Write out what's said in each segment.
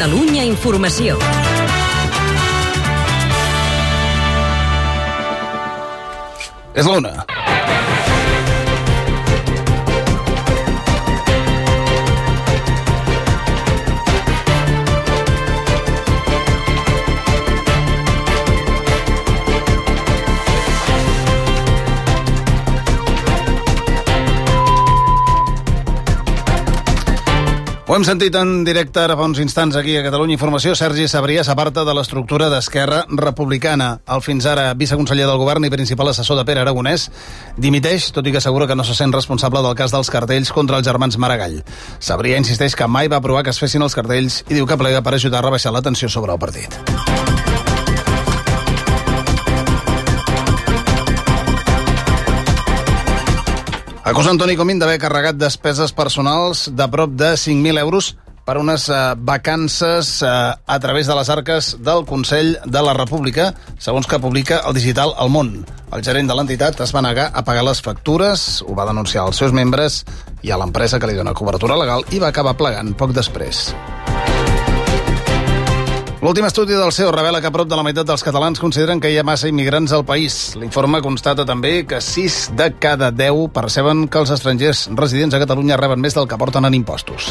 Catalunya Informació. És l'una. Ho hem sentit en directe ara fa uns instants aquí a Catalunya Informació. Sergi Sabrià s'aparta de l'estructura d'Esquerra Republicana. El fins ara viceconseller del govern i principal assessor de Pere Aragonès dimiteix, tot i que assegura que no se sent responsable del cas dels cartells contra els germans Maragall. Sabrià insisteix que mai va aprovar que es fessin els cartells i diu que plega per ajudar a rebaixar la tensió sobre el partit. Acusa Antoni Comín d'haver carregat despeses personals de prop de 5.000 euros per unes vacances a través de les arques del Consell de la República, segons que publica el digital El Món. El gerent de l'entitat es va negar a pagar les factures, ho va denunciar als seus membres i a l'empresa que li dona cobertura legal i va acabar plegant poc després. L'últim estudi del CEO revela que prop de la meitat dels catalans consideren que hi ha massa immigrants al país. L'informe constata també que 6 de cada 10 perceben que els estrangers residents a Catalunya reben més del que porten en impostos.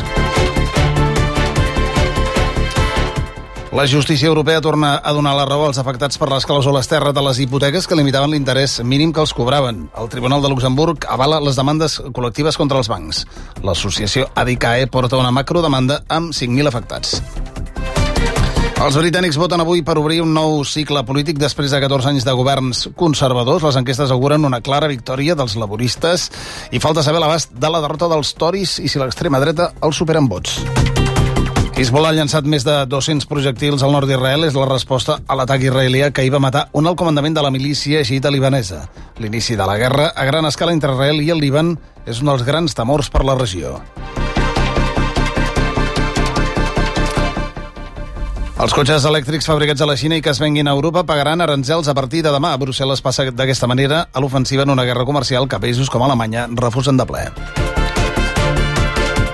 La justícia europea torna a donar la raó als afectats per les clàusules terra de les hipoteques que limitaven l'interès mínim que els cobraven. El Tribunal de Luxemburg avala les demandes col·lectives contra els bancs. L'associació ADICAE porta una macrodemanda amb 5.000 afectats. Els britànics voten avui per obrir un nou cicle polític després de 14 anys de governs conservadors. Les enquestes auguren una clara victòria dels laboristes i falta saber l'abast de la derrota dels Tories i si l'extrema dreta els supera en vots. Hezbollah ha llançat més de 200 projectils al nord d'Israel. És la resposta a l'atac israelià que hi va matar un alt comandament de la milícia xiita libanesa. L'inici de la guerra a gran escala entre Israel i el Líban és un dels grans temors per la regió. Els cotxes elèctrics fabricats a la Xina i que es venguin a Europa pagaran aranzels a partir de demà. Brussel·les passa d'aquesta manera a l'ofensiva en una guerra comercial que països com Alemanya refusen de ple.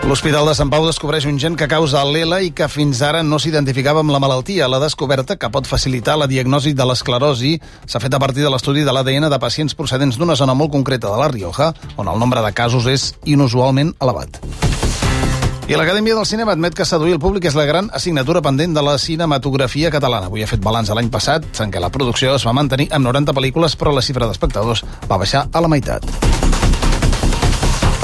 L'Hospital de Sant Pau descobreix un gen que causa l'ELA i que fins ara no s'identificava amb la malaltia. La descoberta, que pot facilitar la diagnosi de l'esclerosi, s'ha fet a partir de l'estudi de l'ADN de pacients procedents d'una zona molt concreta de la Rioja, on el nombre de casos és inusualment elevat. I l'Acadèmia del Cinema admet que seduir el públic és la gran assignatura pendent de la cinematografia catalana. Avui ha fet balanç de l'any passat, en què la producció es va mantenir amb 90 pel·lícules, però la xifra d'espectadors va baixar a la meitat.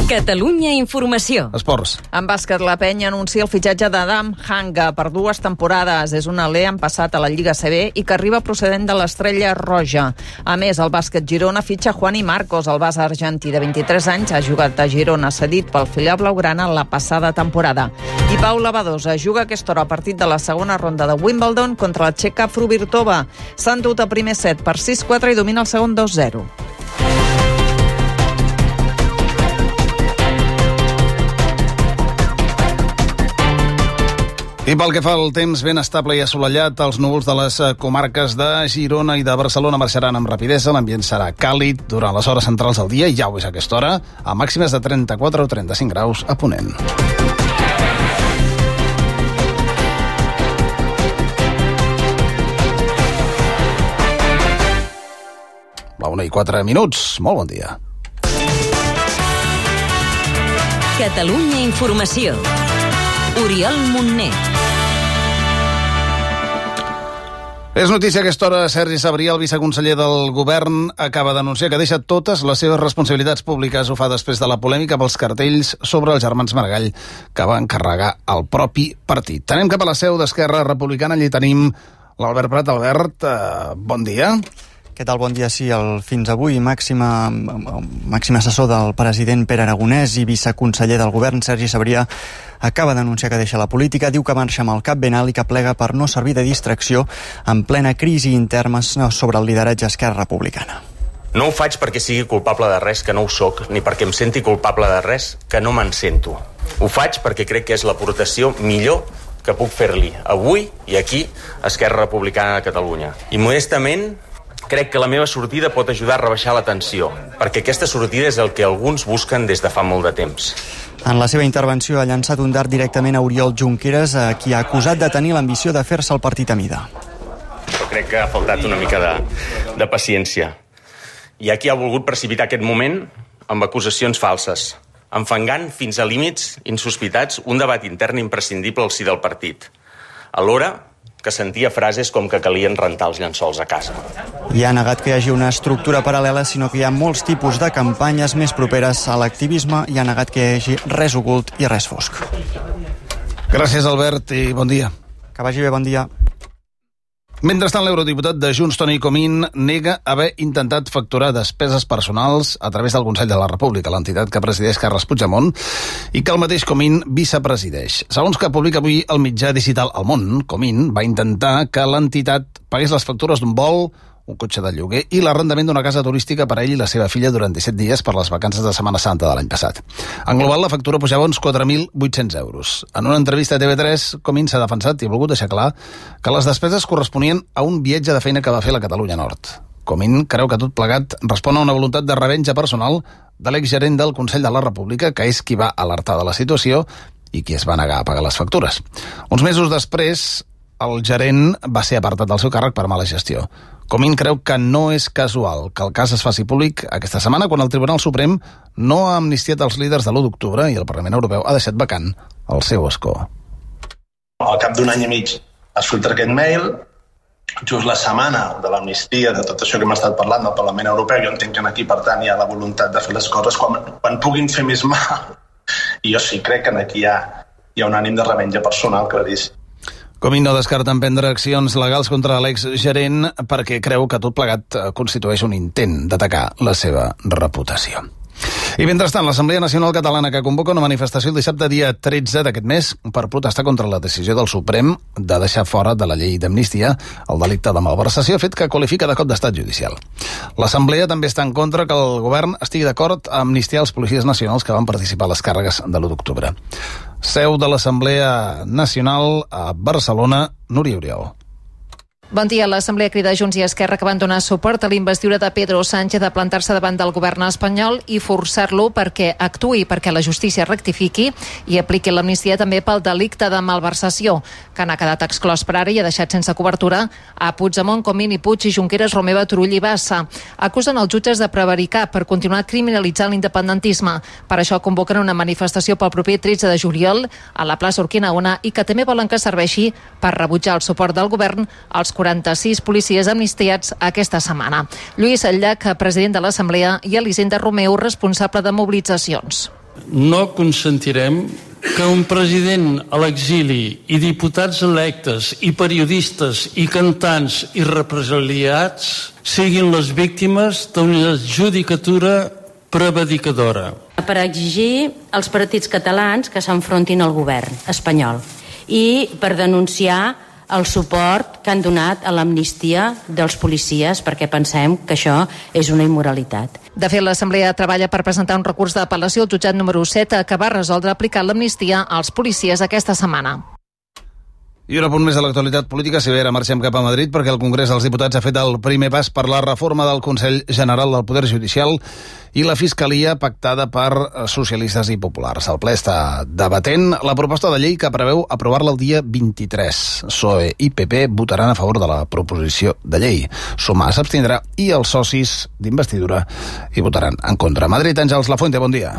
Catalunya Informació. Esports. En bàsquet, la Penya anuncia el fitxatge d'Adam Hanga per 2 temporades. És un alè en passat a la Lliga CB i que arriba procedent de l'Estrella Roja. A més, el bàsquet Girona fitxa Juani Marcos. El base argentí de 23 anys ha jugat a Girona cedit pel filial blaugrana la passada temporada. I Paula Badosa juga a aquesta hora a partit de la segona ronda de Wimbledon contra la txeca Fruvirtova. S'han dut a primer set per 6-4 i domina el segon 2-0. I pel que fa al temps ben estable i assolellat, els núvols de les comarques de Girona i de Barcelona marxaran amb rapidesa. L'ambient serà càlid durant les hores centrals del dia i ja ho és a aquesta hora, a màximes de 34 o 35 graus a Ponent. La 1:04. Molt bon dia. Catalunya Informació. Oriol Montner. És notícia a aquesta hora. Sergi Sabrià, el viceconseller del govern, acaba d'anunciar que deixa totes les seves responsabilitats públiques. Ho fa després de la polèmica pels cartells sobre els germans Maragall que va encarregar el propi partit. Anem cap a la seu d'Esquerra Republicana. Allí tenim l'Albert Prat. Albert, bon dia. Què tal? Bon dia. Sí, el fins avui màxim assessor del president Pere Aragonès i viceconseller del govern Sergi Sabrià acaba d'anunciar que deixa la política. Diu que marxa amb el cap ben alt i que plega per no servir de distracció en plena crisi interna sobre el lideratge Esquerra Republicana. No ho faig perquè sigui culpable de res, que no ho soc, ni perquè em senti culpable de res, que no me'n sento. Ho faig perquè crec que és l'aportació millor que puc fer-li avui i aquí a Esquerra Republicana de Catalunya. I modestament crec que la meva sortida pot ajudar a rebaixar la tensió, perquè aquesta sortida és el que alguns busquen des de fa molt de temps. En la seva intervenció ha llançat un dart directament a Oriol Junqueras, a qui ha acusat de tenir l'ambició de fer-se el partit a mida. Però crec que ha faltat una mica de paciència. Hi ha qui ha volgut precipitar aquest moment amb acusacions falses, enfangant fins a límits insospitats un debat intern imprescindible al si del partit. Alhora que sentia frases com que calien rentar els llençols a casa. I ha negat que hi hagi una estructura paral·lela, sinó que hi ha molts tipus de campanyes més properes a l'activisme i ha negat que hi hagi res ocult i res fosc. Gràcies, Albert, i bon dia. Que vagi bé, bon dia. Mentrestant, l'eurodiputat de Junts, Toni Comín, nega haver intentat facturar despeses personals a través del Consell de la República, l'entitat que presideix Carles Puigdemont i que el mateix Comín vicepresideix. Segons que publica avui el mitjà digital El Món, Comín va intentar que l'entitat pagués les factures d'un vol, un cotxe de lloguer i l'arrendament d'una casa turística per a ell i la seva filla durant 17 dies per les vacances de Setmana Santa de l'any passat. En global, la factura pujava uns 4.800 euros. En una entrevista a TV3, Comín s'ha defensat i ha volgut deixar clar que les despeses corresponien a un viatge de feina que va fer a la Catalunya Nord. Comín creu que tot plegat respon a una voluntat de revenja personal de l'exgerent del Consell de la República, que és qui va alertar de la situació i qui es va negar a pagar les factures. Uns mesos després, el gerent va ser apartat del seu càrrec per mala gestió. Comín creu que no és casual que el cas es faci públic aquesta setmana quan el Tribunal Suprem no ha amnistiat els líders de l'1 d'octubre i el Parlament Europeu ha deixat vacant el seu escó. Al cap d'un any i mig es filtra aquest mail, just la setmana de l'amnistia, de tot això que hem estat parlant del Parlament Europeu. Jo entenc que aquí, per tant, hi ha la voluntat de fer les coses quan puguin fer més mal. I jo sí crec que aquí hi ha un ànim de revenja personal claríssim. Comín no descarta emprendre accions legals contra l'exgerent perquè creu que tot plegat constitueix un intent d'atacar la seva reputació. I mentrestant, l'Assemblea Nacional Catalana que convoca una manifestació el dissabte dia 13 d'aquest mes per protestar contra la decisió del Suprem de deixar fora de la llei d'amnistia el delicte de malversació, fet que qualifica de cop d'estat judicial. L'Assemblea també està en contra que el govern estigui d'acord a amnistiar els policies nacionals que van participar a les càrregues de l'1 d'octubre. Seu de l'Assemblea Nacional a Barcelona, Núria Oriol. Bon dia. L'Assemblea crida Junts i Esquerra que van donar suport a l'investidura de Pedro Sánchez de plantar-se davant del govern espanyol i forçar-lo perquè actuï, perquè la justícia rectifiqui i apliqui l'amnistia també pel delicte de malversació, que n'ha quedat exclòs per ara i ha deixat sense cobertura a Puigdemont, Comín i Puig i Junqueras, Romeva, Turull i Bassa. Acusen els jutges de prevaricar per continuar criminalitzant l'independentisme. Per això convoquen una manifestació pel proper 13 de juliol a la plaça Urquinaona i que també volen que serveixi per rebutjar el suport del govern als 46 policies amnistiats aquesta setmana. Lluís Llach, president de l'Assemblea, i Elisenda Romeu, responsable de mobilitzacions. No consentirem que un president a l'exili i diputats electes i periodistes i cantants i represaliats siguin les víctimes d'una judicatura prevaricadora. Per exigir als partits catalans que s'enfrontin al govern espanyol i per denunciar el suport que han donat a l'amnistia dels policies, perquè pensem que això és una immoralitat. De fet, l'Assemblea treballa per presentar un recurs d'apel·lació al jutjat número 7 que va resoldre aplicar l'amnistia als policies aquesta setmana. I un apunt més de l'actualitat política. Si bé ara marxem cap a Madrid perquè el Congrés dels Diputats ha fet el primer pas per la reforma del Consell General del Poder Judicial i la Fiscalia pactada per socialistes i populars. El ple està debatent la proposta de llei que preveu aprovar-la el dia 23. PSOE i PP votaran a favor de la proposició de llei. Sumar s'abstindrà i els socis d'investidura hi votaran en contra. Madrid, Àngels Lafuente, bon dia.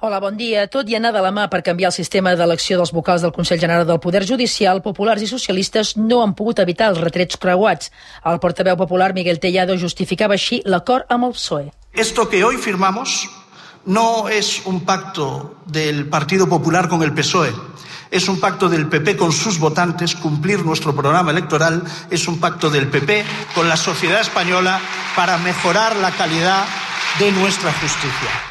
Hola, bon dia. Tot i anar de la mà per canviar el sistema d'elecció dels vocals del Consell General del Poder Judicial, populars i socialistes no han pogut evitar els retrets creuats. El portaveu popular Miguel Tellado justificava així l'acord amb el PSOE. Esto que hoy firmamos no es un pacto del Partido Popular con el PSOE. Es un pacto del PP con sus votantes. Cumplir nuestro programa electoral es un pacto del PP con la sociedad española para mejorar la calidad de nuestra justicia.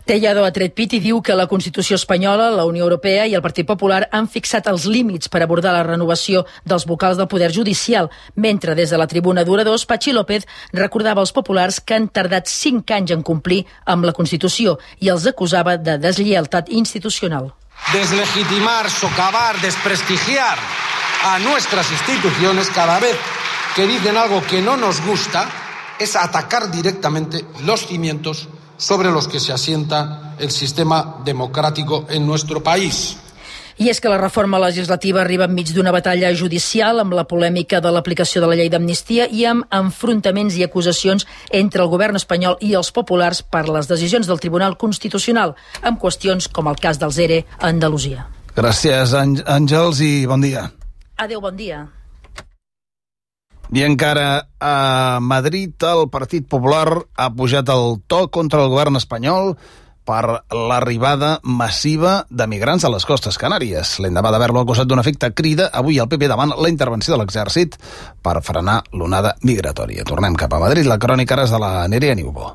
Tellado ha tret pit i diu que la Constitució espanyola, la Unió Europea i el Partit Popular han fixat els límits per abordar la renovació dels vocals del Poder Judicial, mentre des de la tribuna d'oradors Patxi López recordava als populars que han tardat 5 anys en complir amb la Constitució i els acusava de deslleialtat institucional. Deslegitimar, socavar, desprestigiar a nuestras instituciones cada vez que dicen algo que no nos gusta es atacar directamente los cimientos sobre los que se asienta el sistema democrático en nuestro país. I és que la reforma legislativa arriba enmig d'una batalla judicial amb la polèmica de l'aplicació de la llei d'amnistia i amb enfrontaments i acusacions entre el govern espanyol i els populars per les decisions del Tribunal Constitucional, amb qüestions com el cas dels ERE a Andalusia. Gràcies, Àngels, i bon dia. Adéu, bon dia. I encara a Madrid el Partit Popular ha pujat el to contra el govern espanyol per l'arribada massiva de migrants a les costes canàries. L'endemà d'haver-lo acusat d'un efecte crida, avui el PP demana la intervenció de l'exèrcit per frenar l'onada migratòria. Tornem cap a Madrid. La crònica ara és de la Nerea Niubó.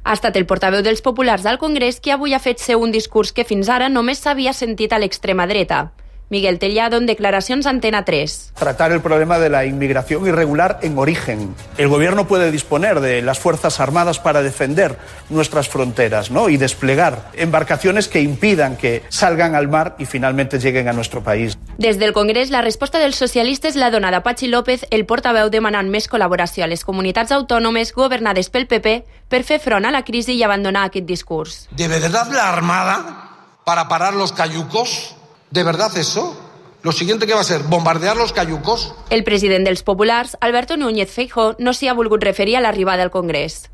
Ha estat el portaveu dels populars al Congrés qui avui ha fet seu un discurs que fins ara només s'havia sentit a l'extrema dreta. Miguel Tellado, en declaracions a Antena 3. Tratar el problema de la inmigración irregular en origen. El gobierno puede disponer de las Fuerzas Armadas para defender nuestras fronteras, ¿no? Y desplegar embarcaciones que impidan que salgan al mar y finalmente lleguen a nuestro país. Des del Congrés, la resposta dels socialistes l'ha donada Patxi López, el portaveu demanant més col·laboració a les comunitats autònomes governades pel PP per fer front a la crisi i abandonar aquest discurs. ¿De verdad la Armada para parar los cayucos? ¿De verdad eso? ¿Lo siguiente que va a ser? ¿Bombardear los cayucos? El president dels populars, Alberto Núñez Feijóo, no s'hi ha volgut referir a l'arribada al Congrés.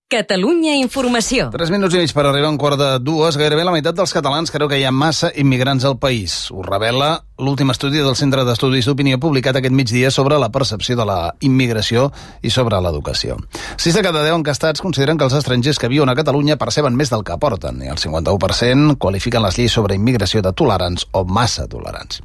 Catalunya Informació. 3 minuts i mig per arribar a un quart de 2. Gairebé la meitat dels catalans creu que hi ha massa immigrants al país. Ho revela l'últim estudi del Centre d'Estudis d'Opinió publicat aquest migdia sobre la percepció de la immigració i sobre l'educació. 6 de cada 10 encastats consideren que els estrangers que viuen a Catalunya perceben més del que aporten i el 51% qualifiquen les lleis sobre immigració de tolerants o massa tolerants.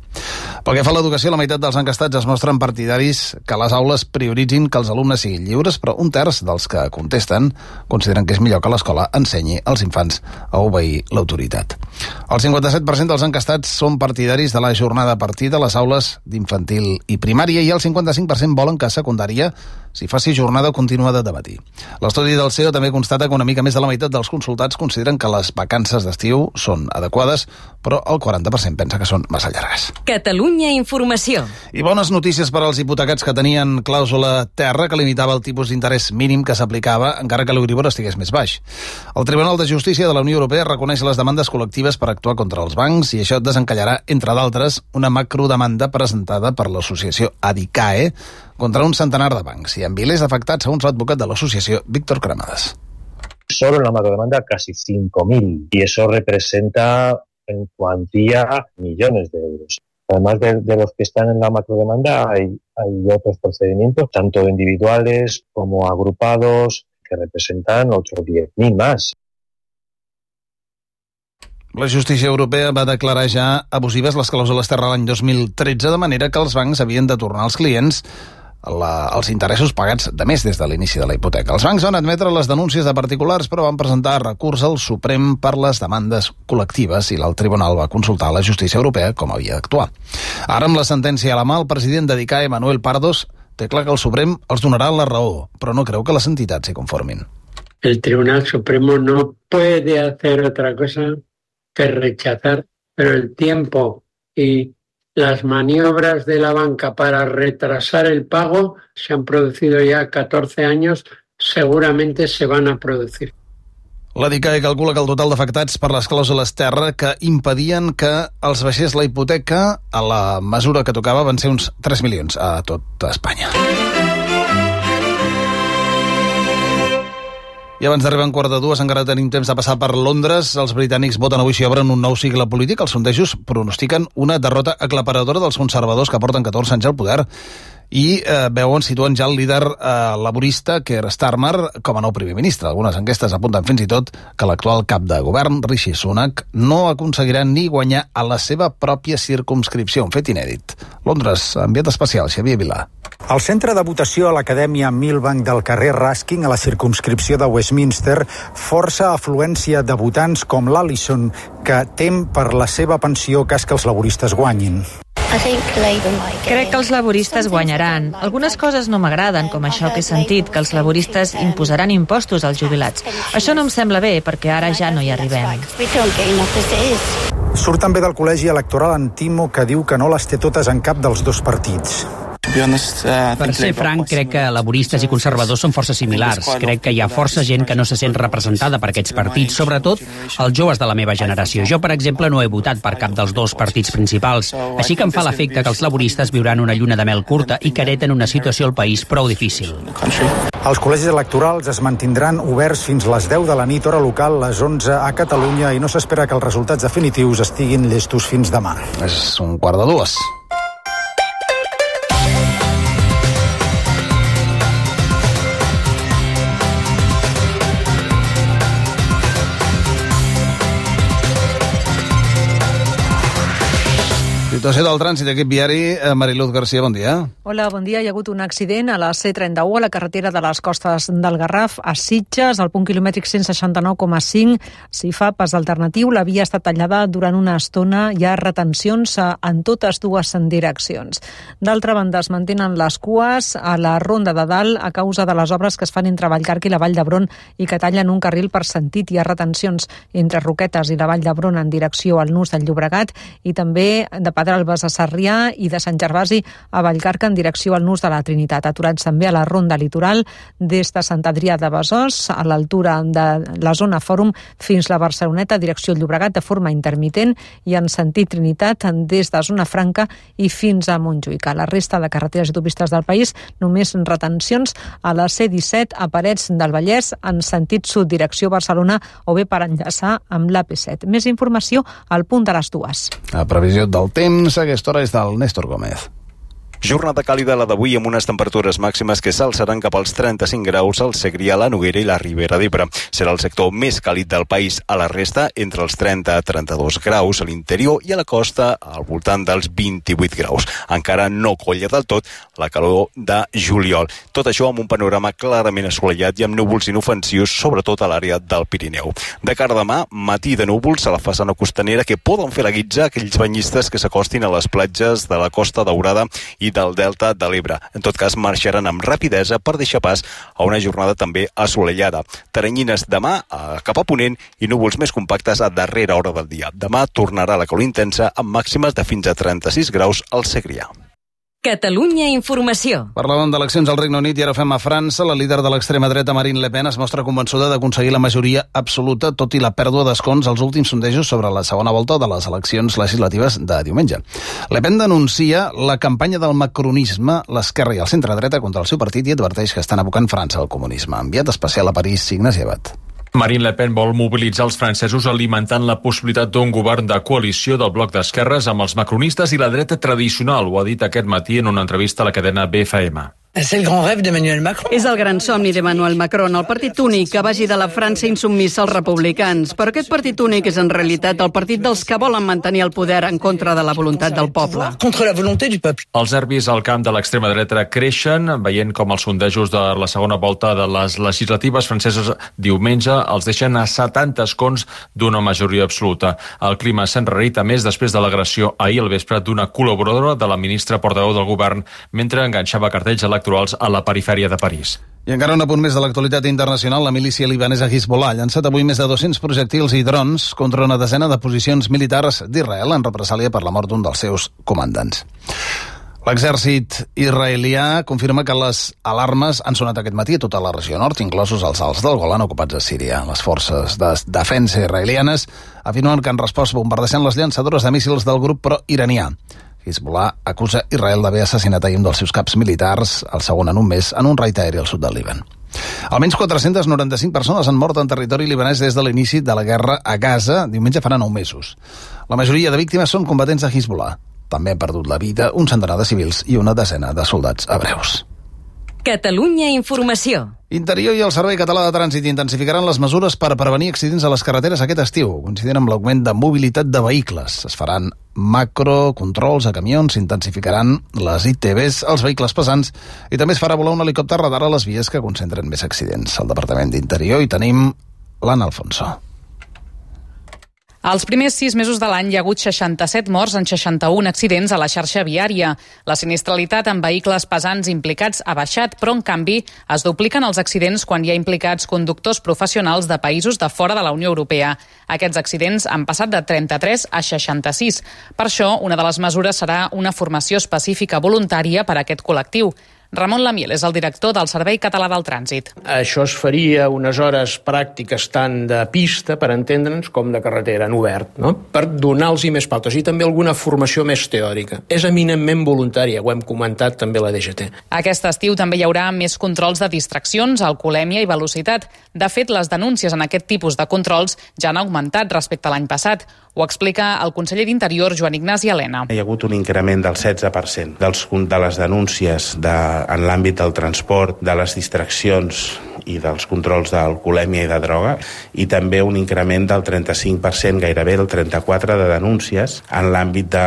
Pel que fa a l'educació, la meitat dels encastats es mostren partidaris que les aules prioritzin que els alumnes siguin lliures, però un terç dels que contesten consideren que és millor que l'escola ensenyi als infants a obeir l'autoritat. El 57% dels encastats són partidaris de la jornada a partir de les aules d'infantil i primària i el 55% volen que a secundària s'hi faci jornada continuada de matí. L'estudi del CEO també constata que una mica més de la meitat dels consultats consideren que les vacances d'estiu són adequades, però el 40% pensa que són massa llargues. Catalunya Informació. I bones notícies per als hipotecats que tenien clàusula terra que limitava el tipus d'interès mínim que s'aplicava encara que l'Euribor estigués més baix. El Tribunal de Justícia de la Unió Europea reconeix les demandes col·lectives per actuar contra els bancs i això desencallarà, entre d'altres, una macrodemanda presentada per l'associació ADICAE contra un centenar de bancs i amb milers afectats, segons l'advocat de l'associació, Víctor Cremades. Solo en la macrodemanda casi 5.000 y eso representa en cuantía millones de euros. Además de los que están en la macrodemanda hay otros procedimientos, tanto individuales como agrupados, que representan otros 10.000 más. La justícia europea va declarar ja abusives les clàusules terra l'any 2013, de manera que els bancs havien de tornar als clients els interessos pagats de més des de l'inici de la hipoteca. Els bancs van admetre les denúncies de particulars, però van presentar recurs al Suprem per les demandes col·lectives i l'alt tribunal va consultar a la justícia europea com havia d'actuar. Ara, amb la sentència a la mà, el president de DICAE, Manuel Pardos, té clar que el Suprem els donarà la raó, però no creu que les entitats s'hi conformin. El Tribunal Supremo no puede hacer otra cosa que rechazar, pero el tiempo y las maniobras de la banca para retrasar el pago se han producido ya 14 años, seguramente se van a producir. La DICAE calcula que el total d'afectats per les clàusules terra que impedien que els baixés la hipoteca a la mesura que tocava van ser uns 3 milions a tot Espanya. I abans d'arribar a un quart de 2, encara tenim temps de passar per Londres. Els britànics voten avui si obren un nou cicle polític. Els sondejos pronostiquen una derrota aclaparadora dels conservadors que porten 14 anys al poder i situen ja el líder laborista Keir Starmer com a nou primer ministre. Algunes enquestes apunten fins i tot que l'actual cap de govern, Rishi Sunak, no aconseguirà ni guanyar a la seva pròpia circumscripció, un fet inèdit. Londres, enviat especial, Xavier Vilà. Al centre de votació a l'Acadèmia Millbank del carrer Ruskin, a la circumscripció de Westminster, força afluència de votants com l'Alison, que tem per la seva pensió cas que els laboristes guanyin. Crec que els laboristes guanyaran. Algunes coses no m'agraden, com això que he sentit, que els laboristes imposaran impostos als jubilats. Això no em sembla bé, perquè ara ja no hi arribem. Surt també del col·legi electoral Antimo, que diu que no les té totes en cap dels dos partits. Per ser franc, crec que laboristes i conservadors són forces similars. Crec que hi ha força gent que no se sent representada per aquests partits, sobretot els joves de la meva generació. Jo, per exemple, no he votat per cap dels dos partits principals, així que em fa l'efecte que els laboristes viuran una lluna de mel curta i que hereten una situació al país prou difícil. Els col·legis electorals es mantindran oberts fins les 10 de la nit, hora local, les 11 a Catalunya, i no s'espera que els resultats definitius estiguin llestos fins demà. És 1:45. Situació del trànsit d'aquest viari. Mariluz Garcia, bon dia. Hola, bon dia. Hi ha hagut un accident a la C31, a la carretera de les Costes del Garraf, a Sitges, al punt quilomètric 169,5. S'hi fa pas alternatiu. La via està tallada durant una estona. Hi ha retencions en totes dues direccions. D'altra banda, es mantenen les cues a la Ronda de Dalt a causa de les obres que es fan entre Vallcarca i la Vall d'Hebron i que tallen un carril per sentit. Hi ha retencions entre Roquetes i la Vall d'Hebron en direcció al Nus del Llobregat i també de Pedralbes a Sarrià i de Sant Gervasi a Vallcarca en direcció al Nus de la Trinitat. Aturats també a la Ronda Litoral des de Sant Adrià de Besòs a l'altura de la zona Fòrum fins la Barceloneta direcció Llobregat de forma intermitent i en sentit Trinitat des de zona Franca i fins a Montjuïc. A la resta de carreteres i autopistes del país només retencions a la C-17 a Parets del Vallès en sentit sud direcció Barcelona o bé per enllaçar amb l'AP7. Més informació al punt de les 2. La previsió del temps a aquesta hora és del Néstor Gómez. Jornada càlida la d'avui amb unes temperatures màximes que s'alçaran cap als 35 graus al Segrià, la Noguera i la Ribera d'Ebre. Serà el sector més càlid del país. A la resta, entre els 30 a 32 graus a l'interior i a la costa al voltant dels 28 graus. Encara no colla del tot la calor de juliol. Tot això amb un panorama clarament assolellat i amb núvols inofensius, sobretot a l'àrea del Pirineu. De cara a demà, matí de núvols a la façana costanera que poden fer la guitza aquells banyistes que s'acostin a les platges de la Costa Daurada i del Delta de l'Ebre. En tot cas, marxaran amb rapidesa per deixar pas a una jornada també assolellada. Teranyines demà cap a ponent i núvols més compactes a darrera hora del dia. Demà tornarà la calor intensa amb màximes de fins a 36 graus al Segrià. Catalunya Informació. Parlàvem d'eleccions al Regne Unit i ara fem a França. La líder de l'extrema dreta, Marine Le Pen, es mostra convençuda d'aconseguir la majoria absoluta, tot i la pèrdua d'escons als últims sondejos sobre la segona volta de les eleccions legislatives de diumenge. Le Pen denuncia la campanya del macronisme, l'esquerra i el centre-dreta contra el seu partit i adverteix que estan abocant França al comunisme. Enviat especial a París, Ignasi Abad. Marine Le Pen vol mobilitzar els francesos alimentant la possibilitat d'un govern de coalició del bloc d'esquerres amb els macronistes i la dreta tradicional, ho ha dit aquest matí en una entrevista a la cadena BFM. És el gran somni d'Emmanuel Macron, el partit únic que vagi de la França insubmissa als republicans. Però aquest partit únic és en realitat el partit dels que volen mantenir el poder en contra de la voluntat del poble. Els nervis al camp de l'extrema dreta creixen, veient com els sondejos de la segona volta de les legislatives franceses diumenge els deixen a 70 escons d'una majoria absoluta. El clima s'enrarita més després de l'agressió ahir al vespre d'una col·laboradora de la ministra portaveu del govern mentre enganxava cartells electorals a la perifèria de París. I encara un apunt més de l'actualitat internacional. La milícia libanesa Hezbollah ha llançat avui més de 200 projectils i drons contra una desena de posicions militars d'Israel en represàlia per la mort d'un dels seus comandants. L'exèrcit israelià confirma que les alarmes han sonat aquest matí a tota la regió nord, inclosos els alts del Golan ocupats a Síria. Les forces de defensa israelianes afirmen que han respost bombardejant les llançadores de míssils del grup pro-iranià. Hezbollah acusa Israel d'haver assassinat ahir un dels seus caps militars, el segon en un mes, en un raid aeri al sud del Líban. Almenys 495 persones han mort en territori libanès des de l'inici de la guerra a Gaza. Diumenge farà 9 mesos. La majoria de víctimes són combatents de Hezbollah. També han perdut la vida un centenar de civils i una desena de soldats hebreus. Catalunya Informació. Interior i el Servei Català de Trànsit intensificaran les mesures per prevenir accidents a les carreteres aquest estiu, coincidint amb l'augment de mobilitat de vehicles. Es faran macrocontrols a camions, s'intensificaran les ITVs als vehicles pesants i també es farà volar un helicòpter radar a les vies que concentren més accidents. Al Departament d'Interior hi tenim l'Anna Alfonso. Els primers 6 mesos de l'any hi ha hagut 67 morts en 61 accidents a la xarxa viària. La sinistralitat en vehicles pesants implicats ha baixat, però en canvi es dupliquen els accidents quan hi ha implicats conductors professionals de països de fora de la Unió Europea. Aquests accidents han passat de 33 a 66. Per això, una de les mesures serà una formació específica voluntària per a aquest col·lectiu. Ramon Lamiel és el director del Servei Català del Trànsit. Això es faria unes hores pràctiques tant de pista, per entendre'ns, com de carretera en obert, no? Per donar-los més pautes i també alguna formació més teòrica. És eminentment voluntària, ho hem comentat també a la DGT. Aquest estiu també hi haurà més controls de distraccions, alcoholèmia i velocitat. De fet, les denúncies en aquest tipus de controls ja han augmentat respecte a l'any passat. Ho explica el conseller d'Interior, Joan Ignasi Elena. Hi ha hagut un increment del 16% de les denúncies en l'àmbit del transport, de les distraccions i dels controls d'alcoholèmia i de droga, i també un increment del 35%, gairebé el 34% de denúncies en l'àmbit de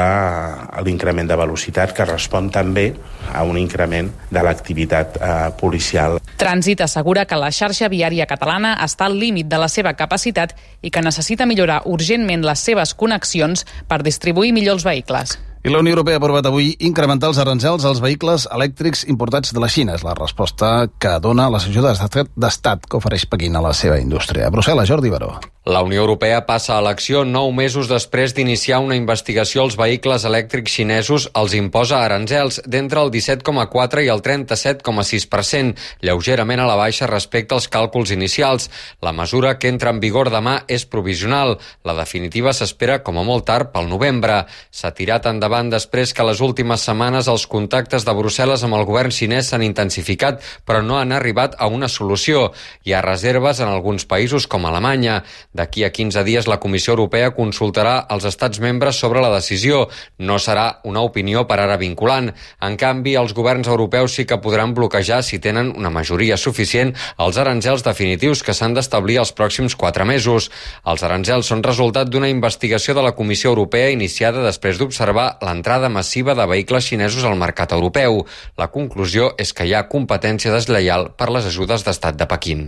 l'increment de velocitat, que respon també a un increment de l'activitat policial. Trànsit assegura que la xarxa viària catalana està al límit de la seva capacitat i que necessita millorar urgentment les seves connexions per distribuir millor els vehicles. I la Unió Europea ha aprovat avui incrementar els aranzels als vehicles elèctrics importats de la Xina. És la resposta que dona les ajudes d'estat que ofereix Pequín a la seva indústria. A Brussel·les, Jordi Baró. La Unió Europea passa a l'acció 9 mesos després d'iniciar una investigació als vehicles elèctrics xinesos. Els imposa aranzels d'entre el 17,4 i el 37,6%, lleugerament a la baixa respecte als càlculs inicials. La mesura, que entra en vigor demà, és provisional. La definitiva s'espera com a molt tard pel novembre. S'ha tirat endavant després que les últimes setmanes els contactes de Brussel·les amb el govern xinès s'han intensificat, però no han arribat a una solució. Hi ha reserves en alguns països com Alemanya. D'aquí a 15 dies la Comissió Europea consultarà els estats membres sobre la decisió. No serà una opinió per ara vinculant. En canvi, els governs europeus sí que podran bloquejar, si tenen una majoria suficient, els aranzels definitius que s'han d'establir els pròxims 4 mesos. Els aranzels són resultat d'una investigació de la Comissió Europea iniciada després d'observar l'entrada massiva de vehicles xinesos al mercat europeu. La conclusió és que hi ha competència deslleial per les ajudes d'estat de Pequín.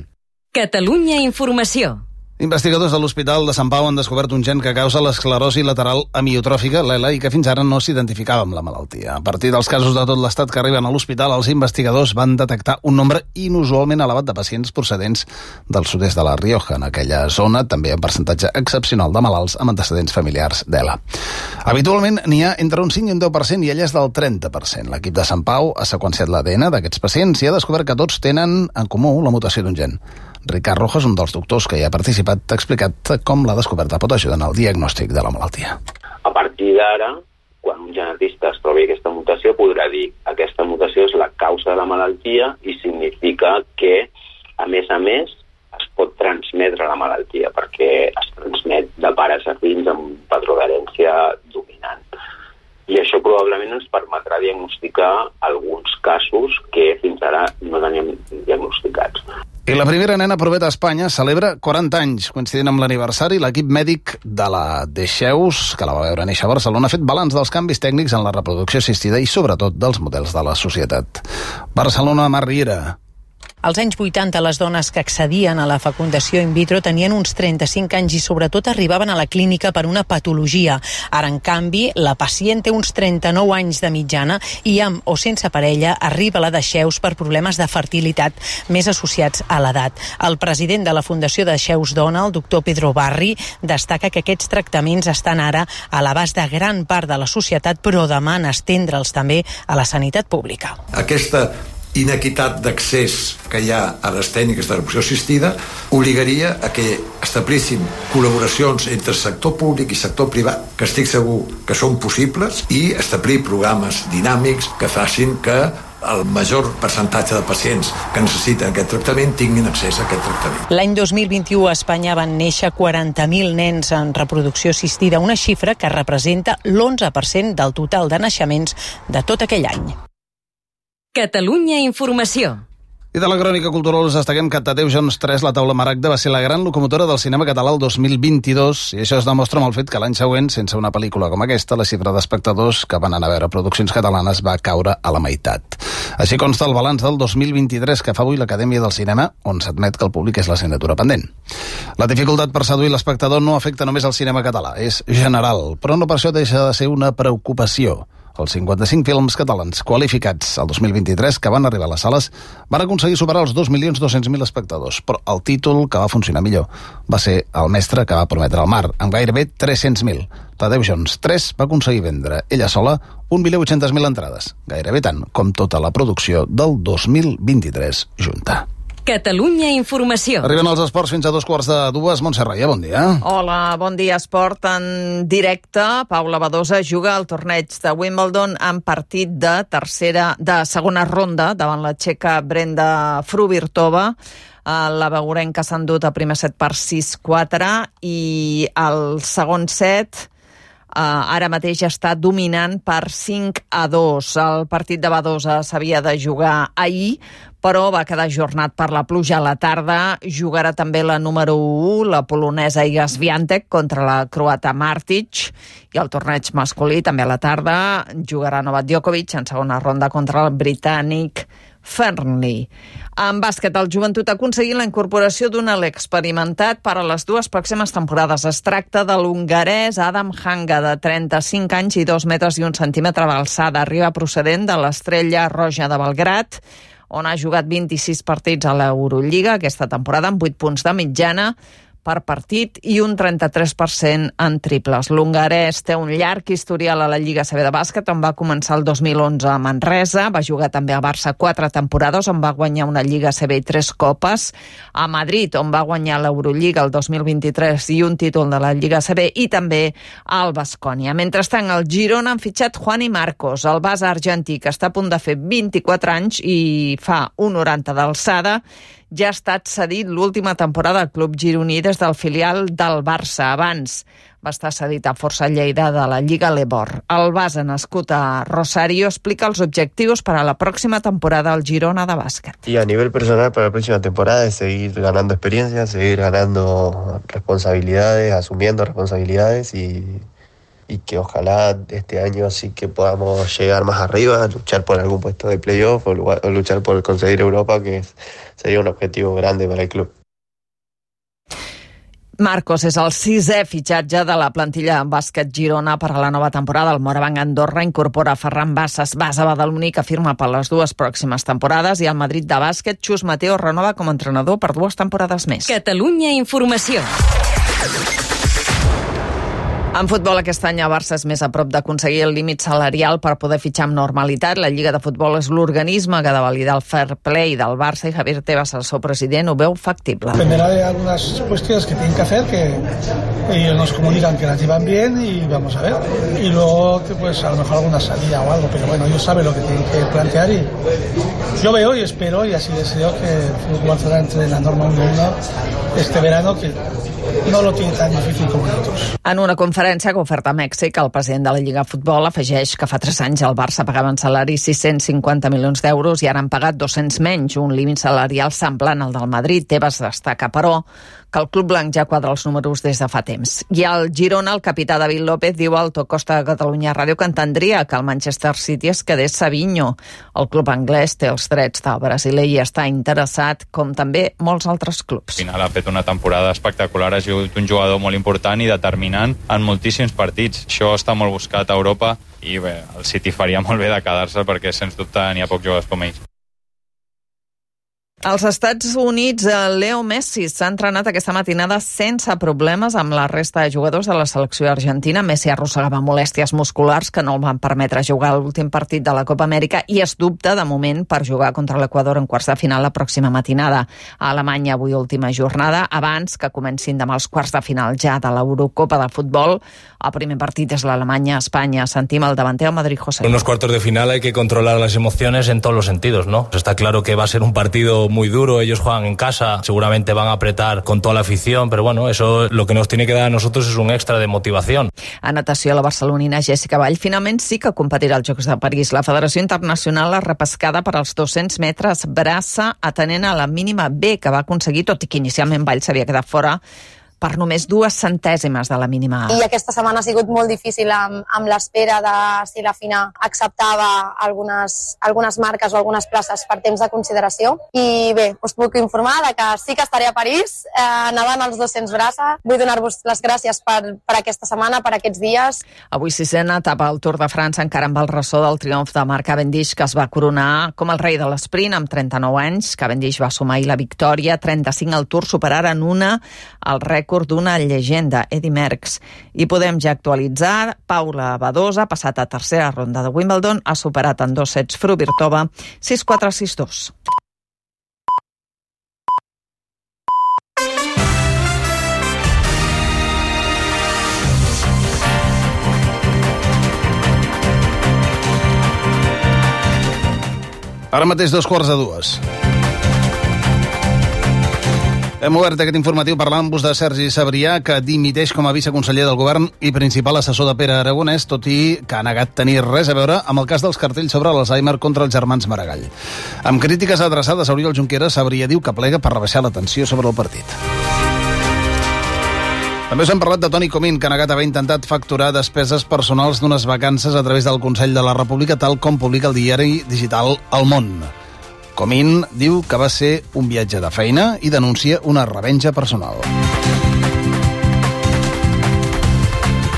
Catalunya Informació. Investigadors de l'Hospital de Sant Pau han descobert un gen que causa l'esclerosi lateral amiotròfica, l'ELA, i que fins ara no s'identificava amb la malaltia. A partir dels casos de tot l'estat que arriben a l'hospital, els investigadors van detectar un nombre inusualment elevat de pacients procedents del sud-est de la Rioja. En aquella zona també hi ha un percentatge excepcional de malalts amb antecedents familiars d'ELA. Habitualment n'hi ha entre un 5 i un 10% i ella és del 30%. L'equip de Sant Pau ha seqüenciat l'ADN d'aquests pacients i ha descobert que tots tenen en comú la mutació d'un gen. Ricard Rojas, un dels doctors que hi ha participat, ha explicat com la descoberta pot ajudar en el diagnòstic de la malaltia. A partir d'ara, quan un genetista es trobi aquesta mutació, podrà dir que aquesta mutació és la causa de la malaltia i significa que, a més, es pot transmetre la malaltia, perquè es transmet de pares a fills amb un patró d'herència dominant. I això probablement ens permetrà diagnosticar alguns casos que fins ara no teníem diagnosticats. I la primera nena proveta a Espanya celebra 40 anys. Coincidint amb l'aniversari, l'equip mèdic de la Dexeus, que la va veure néixer a Barcelona, ha fet balanç dels canvis tècnics en la reproducció assistida i sobretot dels models de la societat. Barcelona, Mar Riera. Als anys 80, les dones que accedien a la fecundació in vitro tenien uns 35 anys i sobretot arribaven a la clínica per una patologia. Ara, en canvi, la pacient té uns 39 anys de mitjana i amb o sense parella arriba a la Dexeus per problemes de fertilitat més associats a l'edat. El president de la Fundació Dexeus Dona, el doctor Pedro Barri, destaca que aquests tractaments estan ara a l'abast de gran part de la societat, però demana estendre'ls també a la sanitat pública. Aquesta inequitat d'accés que hi ha a les tècniques de reproducció assistida obligaria a que establissin col·laboracions entre sector públic i sector privat, que estic segur que són possibles, i establir programes dinàmics que facin que el major percentatge de pacients que necessiten aquest tractament tinguin accés a aquest tractament. L'any 2021 a Espanya van néixer 40.000 nens en reproducció assistida, una xifra que representa l'11% del total de naixements de tot aquell any. Catalunya Informació. I de la crònica cultural us destaquem que Tadeu Jones 3, la taula Maragda, va ser la gran locomotora del cinema català el 2022, i això es demostra amb el fet que l'any següent, sense una pel·lícula com aquesta, la xifra d'espectadors que van anar a veure produccions catalanes va caure a la meitat. Així consta el balanç del 2023 que fa avui l'Acadèmia del Cinema, on s'admet que el públic és l'assignatura pendent. La dificultat per seduir l'espectador no afecta només el cinema català, és general, però no per això deixa de ser una preocupació. Els 55 films catalans qualificats el 2023 que van arribar a les sales van aconseguir superar els 2.200.000 espectadors, però el títol que va funcionar millor va ser El mestre que va prometre el mar, amb gairebé 300.000. Tadeu Jones 3 va aconseguir vendre ella sola 1.800.000 entrades, gairebé tant com tota la producció del 2023 junta. Catalunya Informació. Arriben els esports fins a 2:45. Montse Roya, bon dia. Hola, bon dia. Esport en directe. Paula Badosa juga al torneig de Wimbledon en partit de segona ronda davant la txeca Brenda Fruvirtova. La beurenca s'ha endut el primer set per 6-4 i el segon set ara mateix està dominant per 5-2. El partit de Badosa s'havia de jugar ahir, però va quedar ajornat per la pluja a la tarda. Jugarà també la número 1, la polonesa Iga Swiatek, contra la croata Martic, i el torneig masculí també a la tarda jugarà Novak Djokovic en segona ronda contra el britànic Fernley. En bàsquet, el Joventut ha aconseguit la incorporació d'un alt experimentat per a les 2 pròximes temporades. Es tracta de l'hongarès Adam Hanga, de 35 anys i 2 metres i 1 centímetre d'alçada. Arriba procedent de l'Estrella Roja de Belgrat, on ha jugat 26 partits a l'Eurolliga aquesta temporada, amb 8 punts de mitjana per partit i un 33% en triples. L'hongarès té un llarg historial a la Lliga CB de bàsquet, on va començar el 2011 a Manresa, va jugar també a Barça 4 temporades, on va guanyar una Lliga CB i 3 copes, a Madrid, on va guanyar l'Eurolliga el 2023 i un títol de la Lliga CB, i també al Baskonia. Mentrestant, el Girona han fitxat Juani Marcos, el base argentí, que està a punt de fer 24 anys i fa 1,90 d'alçada. Ja ha estat cedit l'última temporada al club gironí des del filial del Barça. Abans va estar cedit a Força Lleida de la Lliga Lebor. El base, nascut a Rosario, explica els objectius para la próxima temporada al Girona de bàsquet. Y a nivel personal para la próxima temporada es seguir ganando experiencia, seguir ganando responsabilidades, asumiendo responsabilidades y que ojalá este año sí que podamos llegar más arriba, luchar por algún puesto de playoff o luchar por conseguir Europa, que sería un objetivo grande para el club. Marcos és el 6è fitxatge de la plantilla en bàsquet Girona per a la nova temporada. El Morabanc Andorra incorpora Ferran Bassas, base badaloní, que firma per les 2 pròximes temporades, i el Madrid de bàsquet, Xus Mateo, renova com a entrenador per 2 temporades més. Catalunya Informació. En futbol, aquest any el Barça és més a prop d'aconseguir el límit salarial per poder fitxar amb normalitat. La Lliga de Futbol és l'organisme que ha de validar el fair play del Barça, i Javier Tebas, el seu president, ho veu factible. Dependerá de algunas cuestiones que tienen que hacer, que ellos nos comunican que las llevan bien y vamos a ver. Y luego, pues a lo mejor alguna salida o algo, pero bueno, ellos saben lo que tienen que plantear y yo veo y espero y así deseo que el Fútbol Barcelona entre en la norma 1-1 este verano, que no lo tiene tan difícil com nosaltres. En una conferència que ha ofert a Mèxic, el president de la Lliga de Futbol afegeix que fa 3 anys el Barça pagava en salari 650 milions d'euros i ara han pagat 200 menys, un límit salarial semblant al del Madrid. Tebas destaca, però, que el club blanc ja quadra els números des de fa temps. I al Girona, el capità David López diu al Top Costa de Catalunya Ràdio que entendria que el Manchester City es quedés Savinho. El club anglès té els drets del brasiler i està interessat, com també molts altres clubs. Al final ha fet una temporada espectacular, ha sigut un jugador molt important i determinant en moltíssims partits. Això està molt buscat a Europa i bé, el City faria molt bé de quedar-se perquè sens dubte n'hi ha pocs jugadors com ells. Als Estats Units, Leo Messi s'ha entrenat aquesta matinada sense problemes amb la resta de jugadors de la selecció argentina. Messi arrossegava molèsties musculars que no el van permetre jugar a l'últim partit de la Copa Amèrica i es dubta, de moment, per jugar contra l'Equador en quarts de final la pròxima matinada. A Alemanya, avui última jornada, abans que comencin demà els quarts de final ja de l'Eurocopa de futbol. El primer partit és l'Alemanya-Espanya. Sentim el davanter al Madrid, José. En unos cuartos de final hay que controlar las emociones en todos los sentidos, ¿no? Está claro que va a ser un partido muy duro, ellos juegan en casa, seguramente van a apretar con toda la afición, pero bueno, eso lo que nos tiene que dar a nosotros es un extra de motivación. A natació, la barcelonina Jessica Vall finalment sí que competirà als Jocs de París. La Federació Internacional ha repescada per als 200 metres braça, atenent a la mínima B que va aconseguir, tot i que inicialment Vall s'havia quedat fora per només 2 centèsimes de la mínima A. I aquesta setmana ha sigut molt difícil amb l'espera de si la FINA acceptava algunes marques o algunes places per temps de consideració. I bé, us puc informar de que sí que estaré a París nedant els 200 braça. Vull donar-vos les gràcies per aquesta setmana, per aquests dies. Avui 6ena etapa al Tour de França, encara amb el ressò del triomf de Marc Cavendish, que es va coronar com el rei de l'esprint amb 39 anys. Cavendish va sumar la victòria, 35 al Tour, superaren el rècord d'una llegenda, Eddy Merckx. I podem ja actualitzar, Paula Badosa ha passat a tercera ronda de Wimbledon, ha superat en 2 sets Fruvirtova, 6-4, 6-2. Ara mateix 2:45. Hem obert aquest informatiu parlant-vos de Sergi Sabrià, que dimiteix com a viceconseller del govern i principal assessor de Pere Aragonès, tot i que ha negat tenir res a veure amb el cas dels cartells sobre l'Alzheimer contra els germans Maragall. Amb crítiques adreçades a Oriol Junqueras, Sabrià diu que plega per rebaixar la tensió sobre el partit. També us hem parlat de Toni Comín, que ha negat haver intentat facturar despeses personals d'unes vacances a través del Consell de la República, tal com publica el diari digital El Món. Comín diu que va ser un viatge de feina i denuncia una revenja personal.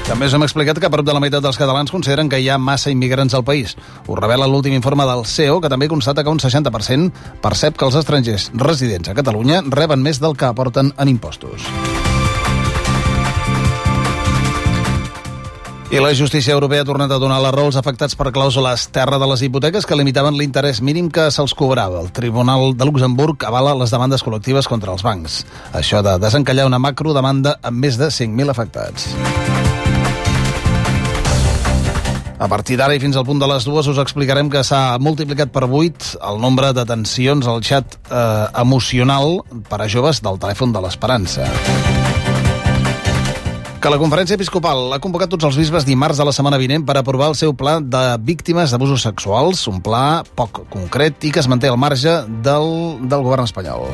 També us hem explicat que prop de la meitat dels catalans consideren que hi ha massa immigrants al país. Ho revela l'últim informe del CEO, que també constata que un 60% percep que els estrangers residents a Catalunya reben més del que aporten en impostos. I la justícia europea ha tornat a donar la raó als afectats per clàusules terra de les hipoteques que limitaven l'interès mínim que se'ls cobrava. El Tribunal de Luxemburg avala les demandes col·lectives contra els bancs. Això ha de desencallar una macrodemanda amb més de 5.000 afectats. A partir d'ara i fins al punt de les 2 us explicarem que s'ha multiplicat per 8 el nombre de detencions al xat emocional per a joves del telèfon de l'Esperança. Que la Conferència Episcopal ha convocat tots els bisbes dimarts de la setmana vinent per aprovar el seu pla de víctimes d'abusos sexuals, un pla poc concret i que es manté al marge del govern espanyol.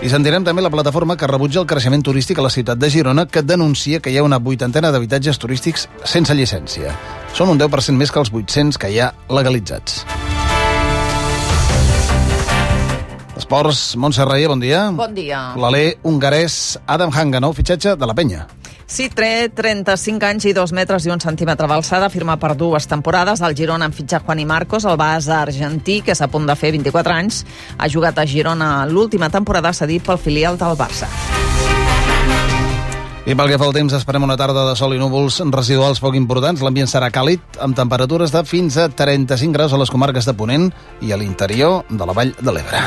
I sentirem també la plataforma que rebutja el creixement turístic a la ciutat de Girona, que denuncia que hi ha una 80ena d'habitatges turístics sense llicència. Són un 10% més que els 800 que hi ha legalitzats. Esports, Montse Reia, bon dia. Bon dia. L'alè hongarès Adam Hanga, nou fitxatge de la Penya. Sí, té 35 anys i 2 metres i 1 centímetre d'alçada, firma per 2 temporades. El Girona en fitxa Juani Marcos, el base argentí, que és a punt de fer 24 anys. Ha jugat a Girona l'última temporada, cedit pel filial del Barça. I pel que fa al temps, esperem una tarda de sol i núvols residuals poc importants. L'ambient serà càlid, amb temperatures de fins a 35 graus a les comarques de Ponent i a l'interior de la Vall de l'Ebre.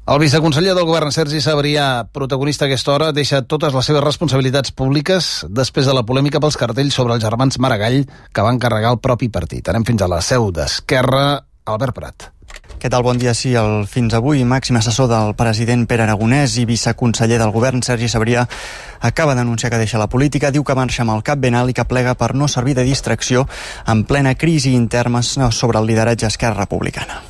El viceconseller del govern, Sergi Sabrià, protagonista a aquesta hora, deixa totes les seves responsabilitats públiques després de la polèmica pels cartells sobre els germans Maragall que van carregar el propi partit. Anem fins a la seu d'Esquerra, Albert Prat. Què tal? Bon dia. Sí, el fins avui màxim assessor del president Pere Aragonès i viceconseller del govern, Sergi Sabrià, acaba d'anunciar que deixa la política, diu que marxa amb el cap ben alt i que plega per no servir de distracció en plena crisi interna sobre el lideratge Esquerra Republicana.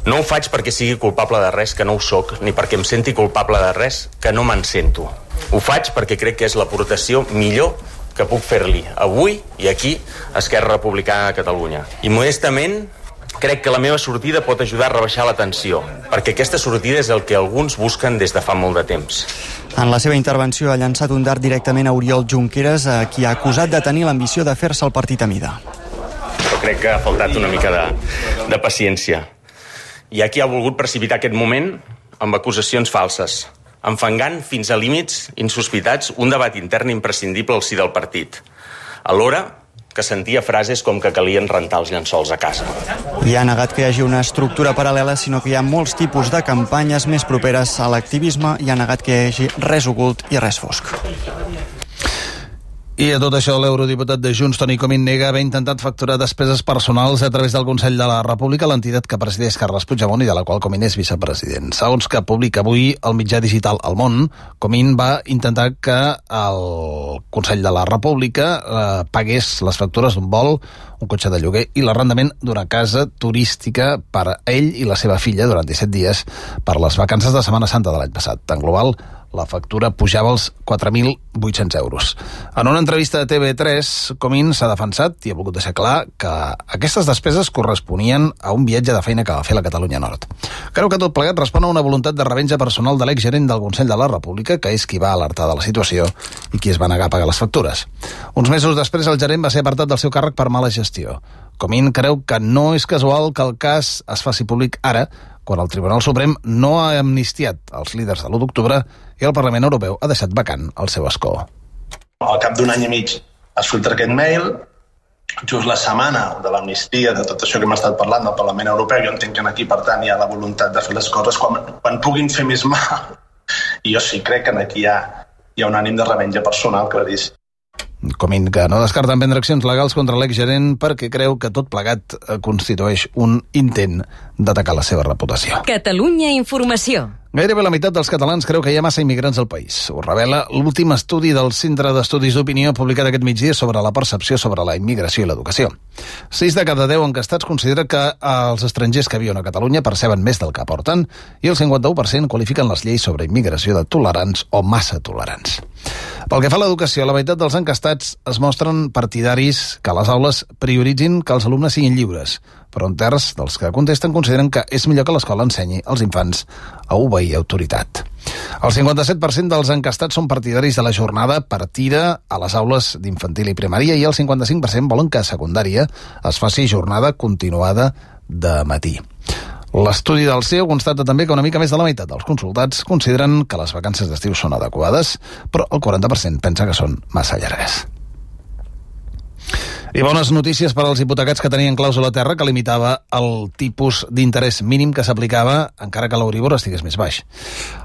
No ho faig perquè sigui culpable de res que no ho soc, ni perquè em senti culpable de res que no me'n sento. Ho faig perquè crec que és l'aportació millor que puc fer-li avui i aquí a Esquerra Republicana de Catalunya. I modestament crec que la meva sortida pot ajudar a rebaixar la tensió, perquè aquesta sortida és el que alguns busquen des de fa molt de temps. En la seva intervenció ha llançat un dart directament a Oriol Junqueras, a qui ha acusat de tenir l'ambició de fer-se el partit a mida. Però crec que ha faltat una mica de paciència. Hi ha qui ha volgut precipitar aquest moment amb acusacions falses, enfangant fins a límits insospitats un debat intern imprescindible al si del partit. Alhora que sentia frases com que calien rentar els llençols a casa. I ha negat que hi hagi una estructura paral·lela, sinó que hi ha molts tipus de campanyes més properes a l'activisme i ha negat que hi hagi res ocult i res fosc. I a tot això, l'eurodiputat de Junts, Toni Comín, nega haver intentat facturar despeses personals a través del Consell de la República, l'entitat que presideix Carles Puigdemont i de la qual Comín és vicepresident. Segons que publica avui el mitjà digital El Món, Comín va intentar que el Consell de la República pagués les factures d'un vol, un cotxe de lloguer i l'arrendament d'una casa turística per a ell i la seva filla durant 17 dies per les vacances de Setmana Santa de l'any passat. En global, la factura pujava als 4.800 euros. En una entrevista de TV3, Comín s'ha defensat i ha volgut deixar clar que aquestes despeses corresponien a un viatge de feina que va fer a la Catalunya Nord. Creu que tot plegat respon a una voluntat de revenja personal de l'exgerent del Consell de la República, que és qui va alertar de la situació i qui es va negar a pagar les factures. Uns mesos després, el gerent va ser apartat del seu càrrec per mala gestió. Comín creu que no és casual que el cas es faci públic ara, quan el Tribunal Suprem no ha amnistiat els líders de l'1 d'octubre i el Parlament Europeu ha deixat vacant el seu escó. Al cap d'un any i mig es filtra aquest mail, just la setmana de l'amnistia, de tot això que hem estat parlant del Parlament Europeu. Jo entenc que aquí, per tant, hi ha la voluntat de fer les coses quan puguin fer més mal. I jo sí crec que aquí hi ha un ànim de revenja personal claríssim. Comín, que no descarten prendre accions legals contra l'exgerent perquè creu que tot plegat constitueix un intent d'atacar la seva reputació. Catalunya Informació. Gairebé la meitat dels catalans creu que hi ha massa immigrants al país. Ho revela l'últim estudi del Centre d'Estudis d'Opinió publicat aquest migdia sobre la percepció sobre la immigració i l'educació. 6 de cada 10 enquestats considera que els estrangers que viuen a Catalunya perceben més del que aporten i el 51% qualifiquen les lleis sobre immigració de tolerants o massa tolerants. Pel que fa a l'educació, la meitat dels enquestats es mostren partidaris que les aules prioritzin que els alumnes siguin lliures, però un terç dels que contesten consideren que és millor que l'escola ensenyi als infants a obeir autoritat. El 57% dels enquestats són partidaris de la jornada partida a les aules d'infantil i primària i el 55% volen que a secundària es faci jornada continuada de matí. L'estudi del CEO constata també que una mica més de la meitat dels consultats consideren que les vacances d'estiu són adequades, però el 40% pensa que són massa llargues. I bones notícies per als hipotecats que tenien clàusula terra que limitava el tipus d'interès mínim que s'aplicava encara que l'Euribor estigués més baix.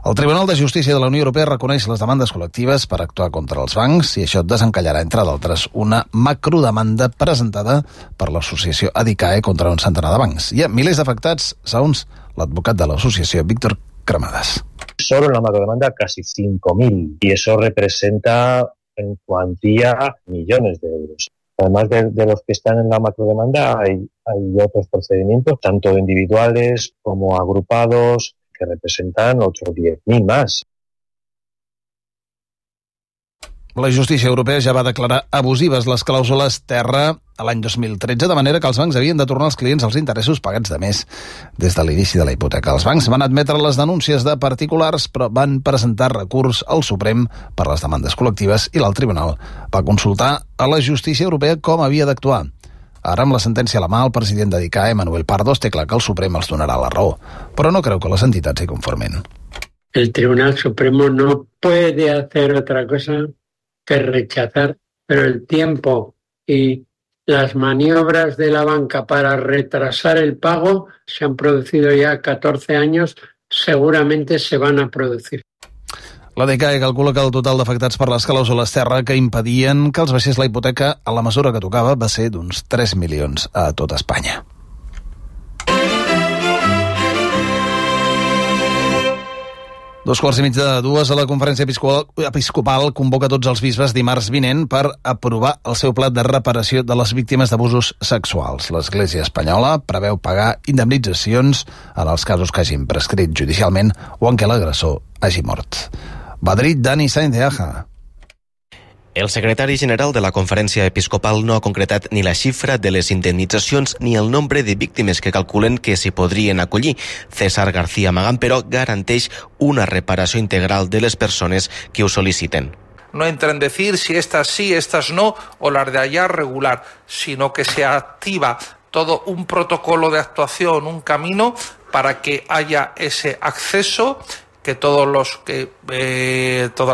El Tribunal de Justícia de la Unió Europea reconeix les demandes col·lectives per actuar contra els bancs i això desencallarà, entre d'altres, una macrodemanda presentada per l'associació ADICAE contra un centenar de bancs. Hi ha milers d'afectats, segons l'advocat de l'associació, Víctor Cremades. Solo en la macrodemanda casi 5.000 y eso representa en cuantía millones de euros. Además de los que están en la macrodemanda, hay otros procedimientos, tanto individuales como agrupados, que representan otros 10.000 más. La justícia europea ja va declarar abusives les clàusules terra a l'any 2013, de manera que els bancs havien de tornar als clients els interessos pagats de més des de l'inici de la hipoteca. Els bancs van admetre les denúncies de particulars, però van presentar recurs al Suprem per les demandes col·lectives i l'alt tribunal va consultar a la justícia europea com havia d'actuar. Ara, amb la sentència a la mà, el president d'ADICAE, Manuel Pardos, té clar que el Suprem els donarà la raó, però no creu que les entitats s'hi conformin. El Tribunal Supremo no puede hacer otra cosa que rechazar, pero el tiempo y las maniobras de la banca para retrasar el pago se han producido ya 14 años, seguramente se van a producir. La DCAE calcula que el total d'afectats per les clàusules terra que impedien que els baixés la hipoteca a la mesura que tocava va ser d'uns 3 milions a tot Espanya. Dos quarts i mig de dues, a la Conferència Episcopal convoca tots els bisbes dimarts vinent per aprovar el seu pla de reparació de les víctimes d'abusos sexuals. L'Església espanyola preveu pagar indemnitzacions en els casos que hagin prescrit judicialment o en què l'agressor hagi mort. Madrid, Dani Sainz de Aja. El secretari general de la Conferència Episcopal no ha concretat ni la xifra de les indemnitzacions ni el nombre de víctimes que calculen que s'hi podrien acollir. César García Magán, però, garanteix una reparació integral de les persones que ho sol·liciten. No entra en decir si estas sí, estas no, o las de allá regular, sino que se activa todo un protocolo de actuación, un camino para que haya ese acceso, que todas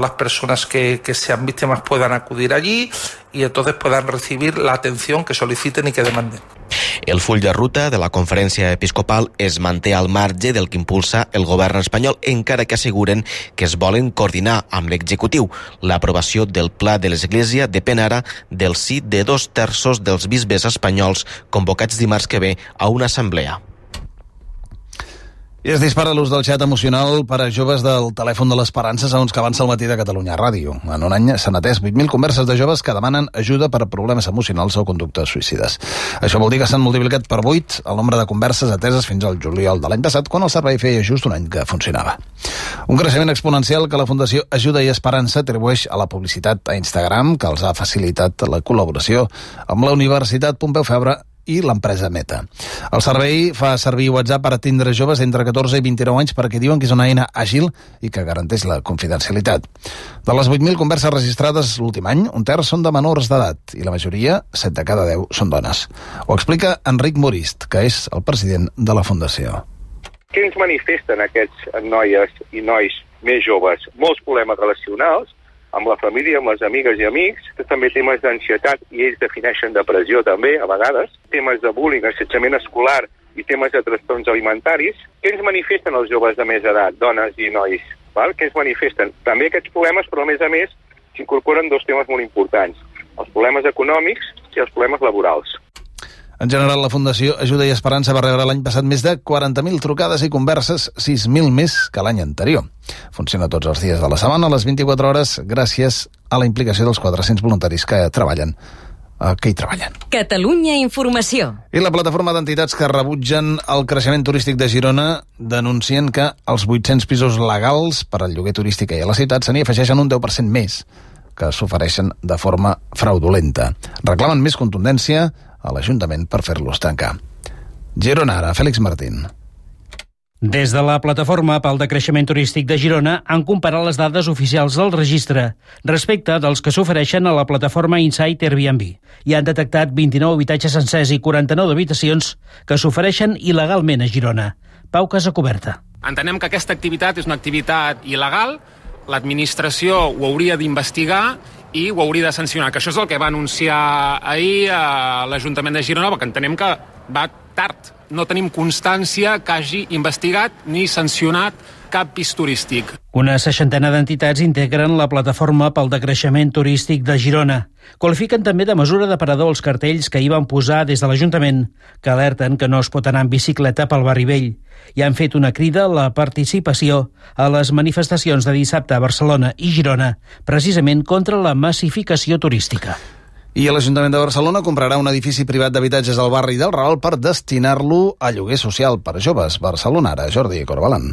las personas que sean víctimas puedan acudir allí y entonces puedan recibir la atención que soliciten y que demanden. El full de ruta de la conferència episcopal es manté al marge del que impulsa el govern espanyol, encara que asseguren que es volen coordinar amb l'executiu. L'aprovació del pla de l'Església depèn ara del sí de 2/3 dels bisbes espanyols convocats dimarts que ve a una assemblea. I es dispara l'ús del xat emocional per a joves del telèfon de l'Esperança, segons que avança el matí de Catalunya Ràdio. En un any s'han atès 8.000 converses de joves que demanen ajuda per a problemes emocionals o conductes suïcides. Això vol dir que s'han multiplicat per 8 el nombre de converses ateses fins al juliol de l'any passat, quan el servei feia just un any que funcionava. Un creixement exponencial que la Fundació Ajuda i Esperança atribueix a la publicitat a Instagram, que els ha facilitat la col·laboració amb la Universitat Pompeu Fabra i l'empresa Meta. El servei fa servir WhatsApp per atendre joves d'entre 14 i 29 anys perquè diuen que és una eina àgil i que garanteix la confidencialitat. De les 8.000 converses registrades l'últim any, un terç són de menors d'edat i la majoria, 7 de cada 10, són dones. Ho explica Enric Morist, que és el president de la Fundació. Què ens manifesten aquests noies i nois més joves? Molts problemes relacionals, amb la família, amb les amigues i amics, també temes d'ansietat, i ells defineixen depressió també, a vegades, temes de bullying, assetjament escolar i temes de trastorns alimentaris. Què ens manifesten els joves de més edat, dones i nois? Val? Què ens manifesten? També aquests problemes, però a més s'incorporen dos temes molt importants, els problemes econòmics i els problemes laborals. En general, la Fundació Ajuda i Esperança va rebre l'any passat més de 40.000 trucades i converses, 6.000 més que l'any anterior. Funciona tots els dies de la setmana, a les 24 hores, gràcies a la implicació dels 400 voluntaris que hi treballen. Catalunya Informació. I la plataforma d'entitats que rebutgen el creixement turístic de Girona denuncien que els 800 pisos legals per al lloguer turístic i a la ciutat se n'hi afegeixen un 10% més que s'ofereixen de forma fraudulenta. Reclamen més contundència a l'Ajuntament per fer-los tancar. Girona ara, Fèlix Martín. Des de la Plataforma pel Decreixement Turístic de Girona han comparat les dades oficials del registre respecte dels que s'ofereixen a la plataforma Insight Airbnb i han detectat 29 habitatges sencers i 49 habitacions que s'ofereixen il·legalment a Girona. Pau Casacoberta. Entenem que aquesta activitat és una activitat il·legal, l'administració ho hauria d'investigar i ho hauria de sancionar, que això és el que va anunciar ahir a l'Ajuntament de Girona, perquè entenem que va tard. No tenim constància que hagi investigat ni sancionat cap pis turístic. Una 60 d'entitats integren la Plataforma pel Decreixement Turístic de Girona. Qualifiquen també de mesura de parador els cartells que hi van posar des de l'Ajuntament, que alerten que no es pot anar en bicicleta pel barri vell, i han fet una crida a la participació a les manifestacions de dissabte a Barcelona i Girona, precisament contra la massificació turística. I l'Ajuntament de Barcelona comprarà un edifici privat d'habitatges al barri del Raval per destinar-lo a lloguer social per a joves. Barcelona ara, Jordi Corbalan.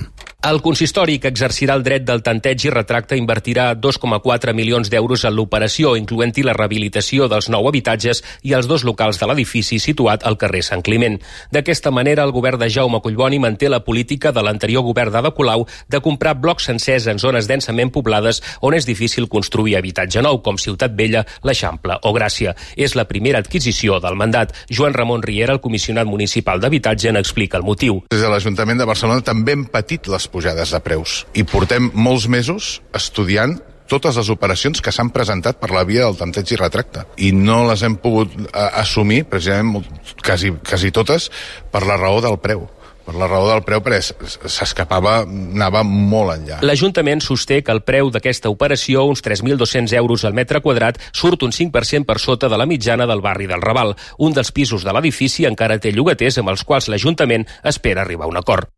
El consistori, que exercirà el dret del tanteig i retracte, invertirà 2,4 milions d'euros en l'operació, incloent-hi la rehabilitació dels 9 habitatges i els 2 locals de l'edifici situat al carrer Sant Climent. D'aquesta manera, el govern de Jaume Collboni manté la política de l'anterior govern d'Ada Colau de comprar blocs sencers en zones densament poblades on és difícil construir habitatge nou, com Ciutat Vella, l'Eixample o Gràcia. És la primera adquisició del mandat. Joan Ramon Riera, el comissionat municipal d'habitatge, n'explica el motiu. Des de l'Ajuntament de Barcelona també hem patit les pujades de preus i portem molts mesos estudiant totes les operacions que s'han presentat per la via del tanteig i retracte i no les hem pogut assumir precisament quasi totes per la raó del preu. Per la raó del preu, perquè s'escapava, anava molt enllà. L'Ajuntament sosté que el preu d'aquesta operació, uns 3.200 euros al metre quadrat, surt un 5% per sota de la mitjana del barri del Raval. Un dels pisos de l'edifici encara té llogaters amb els quals l'Ajuntament espera arribar a un acord.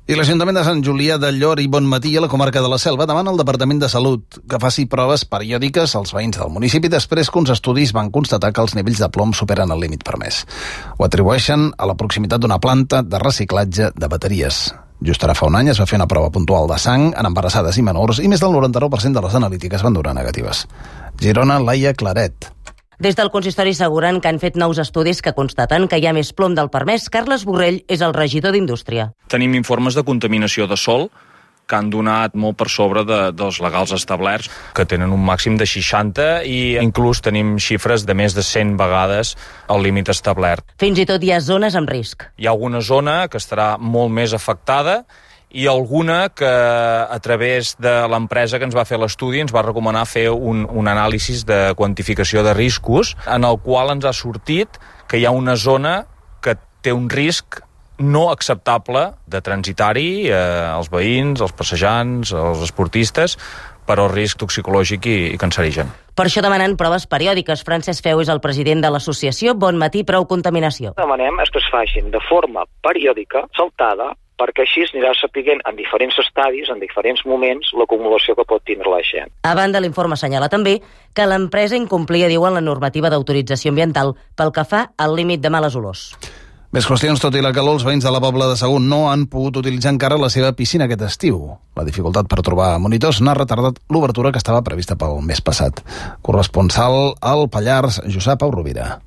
I l'Ajuntament de Sant Julià del Llor i Bonmatí, a la comarca de la Selva, demana al Departament de Salut que faci proves periòdiques als veïns del municipi després que uns estudis van constatar que els nivells de plom superen el límit permès. Ho atribueixen a la proximitat d'una planta de reciclatge de bateries. Just ara fa un any es va fer una prova puntual de sang en embarassades i menors i més del 99% de les analítiques van donar negatives. Girona, Laia Claret. Des del consistori asseguren que han fet nous estudis que constaten que hi ha més plom del permès. Carles Borrell és el regidor d'Indústria. Tenim informes de contaminació de sòl que han donat molt per sobre dels legals establerts, que tenen un màxim de 60 i inclús tenim xifres de més de 100 vegades el límit establert. Fins i tot hi ha zones amb risc. Hi ha alguna zona que estarà molt més afectada i alguna que a través de l'empresa que ens va fer l'estudi ens va recomanar fer un anàlisi de quantificació de riscos en el qual ens ha sortit que hi ha una zona que té un risc no acceptable de transitar-hi els veïns, els passejants, els esportistes, per al risc toxicològic i cancerigen. Per això demanen proves periòdiques. Francesc Feu és el president de l'associació Bon Matí Prou Contaminació. Demanem que es facin de forma periòdica, saltada, perquè així es anirà sapiguent en diferents estadis, en diferents moments, l'acumulació que pot tindre la gent. A banda, l'informe assenyala també que l'empresa incomplia, diuen, la normativa d'autorització ambiental pel que fa al límit de males olors. Més qüestions, tot i la calor, els veïns de la Pobla de Segur no han pogut utilitzar encara la seva piscina aquest estiu. La dificultat per trobar monitors n'ha retardat l'obertura que estava prevista pel mes passat. Corresponsal al Pallars, Josep Pau Rovira.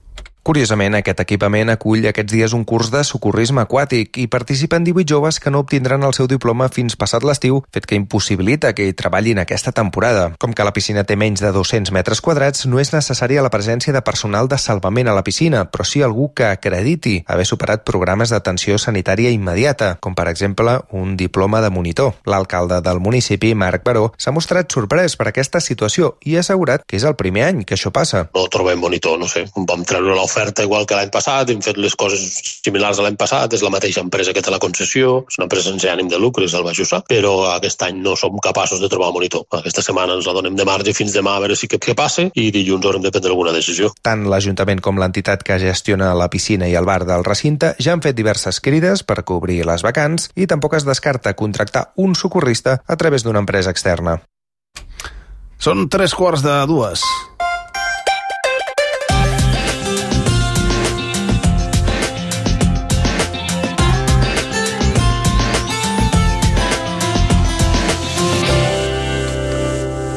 Curiosament, aquest equipament acull aquests dies un curs de socorrisme aquàtic i participen 18 joves que no obtindran el seu diploma fins passat l'estiu, fet que impossibilita que hi treballin aquesta temporada. Com que la piscina té menys de 200 metres quadrats, no és necessària la presència de personal de salvament a la piscina, però sí algú que acrediti haver superat programes d'atenció sanitària immediata, com per exemple un diploma de monitor. L'alcalde del municipi, Marc Baró, s'ha mostrat sorprès per aquesta situació i ha assegurat que és el primer any que això passa. No trobem monitor, no sé, vam treure l'oferta igual que l'any passat, hem fet les coses similars a l'any passat, és la mateixa empresa que té la concessió, és una empresa sense ànim de lucre, és el Bajusa, però aquest any no som capaços de trobar monitor. Aquesta setmana ens la donem de marge fins demà a veure si què passa i dilluns haurem de prendre alguna decisió. Tant l'Ajuntament com l'entitat que gestiona la piscina i el bar del recinte ja han fet diverses crides per cobrir les vacants i tampoc es descarta contractar un socorrista a través d'una empresa externa. Són 3:45.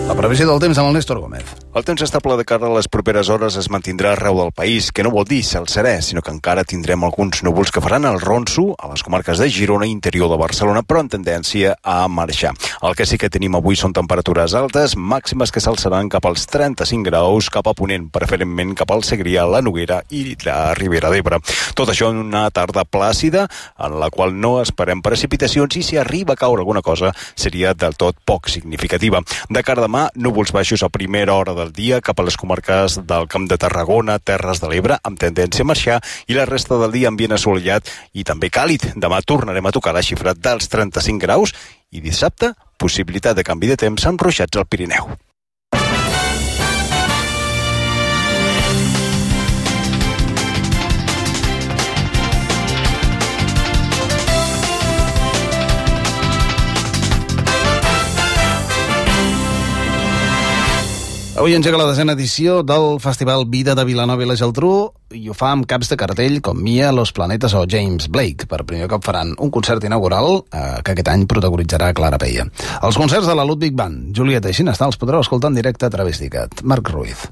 La previsió del temps amb el Néstor Gómez. El temps estable de cara a les properes hores es mantindrà arreu del país, que no vol dir cel serè, sinó que encara tindrem alguns núvols que faran el ronso a les comarques de Girona i interior de Barcelona, però en tendència a marxar. El que sí que tenim avui són temperatures altes, màximes que s'alçaran cap als 35 graus, cap a ponent, preferentment cap al Segrià, la Noguera i la Ribera d'Ebre. Tot això en una tarda plàcida, en la qual no esperem precipitacions i si arriba a caure alguna cosa seria del tot poc significativa. De cara a demà, núvols baixos a primera hora del dia cap a les comarques del Camp de Tarragona, Terres de l'Ebre, amb tendència a marxar, i la resta del dia ambient assolellat i també càlid. Demà tornarem a tocar la xifra dels 35 graus i dissabte, possibilitat de canvi de temps amb ruixats al Pirineu. Avui engega la 10a edició del Festival Vida de Vilanova i la Geltrú i ho fa amb caps de cartell com Mia, Los Planetes o James Blake. Per primer cop faran un concert inaugural que aquest any protagonitzarà Clara Peia. Els concerts de la Ludwig Band, Julieta i Xinestà els podreu escoltar en directe a través d'ICAT. Marc Ruiz.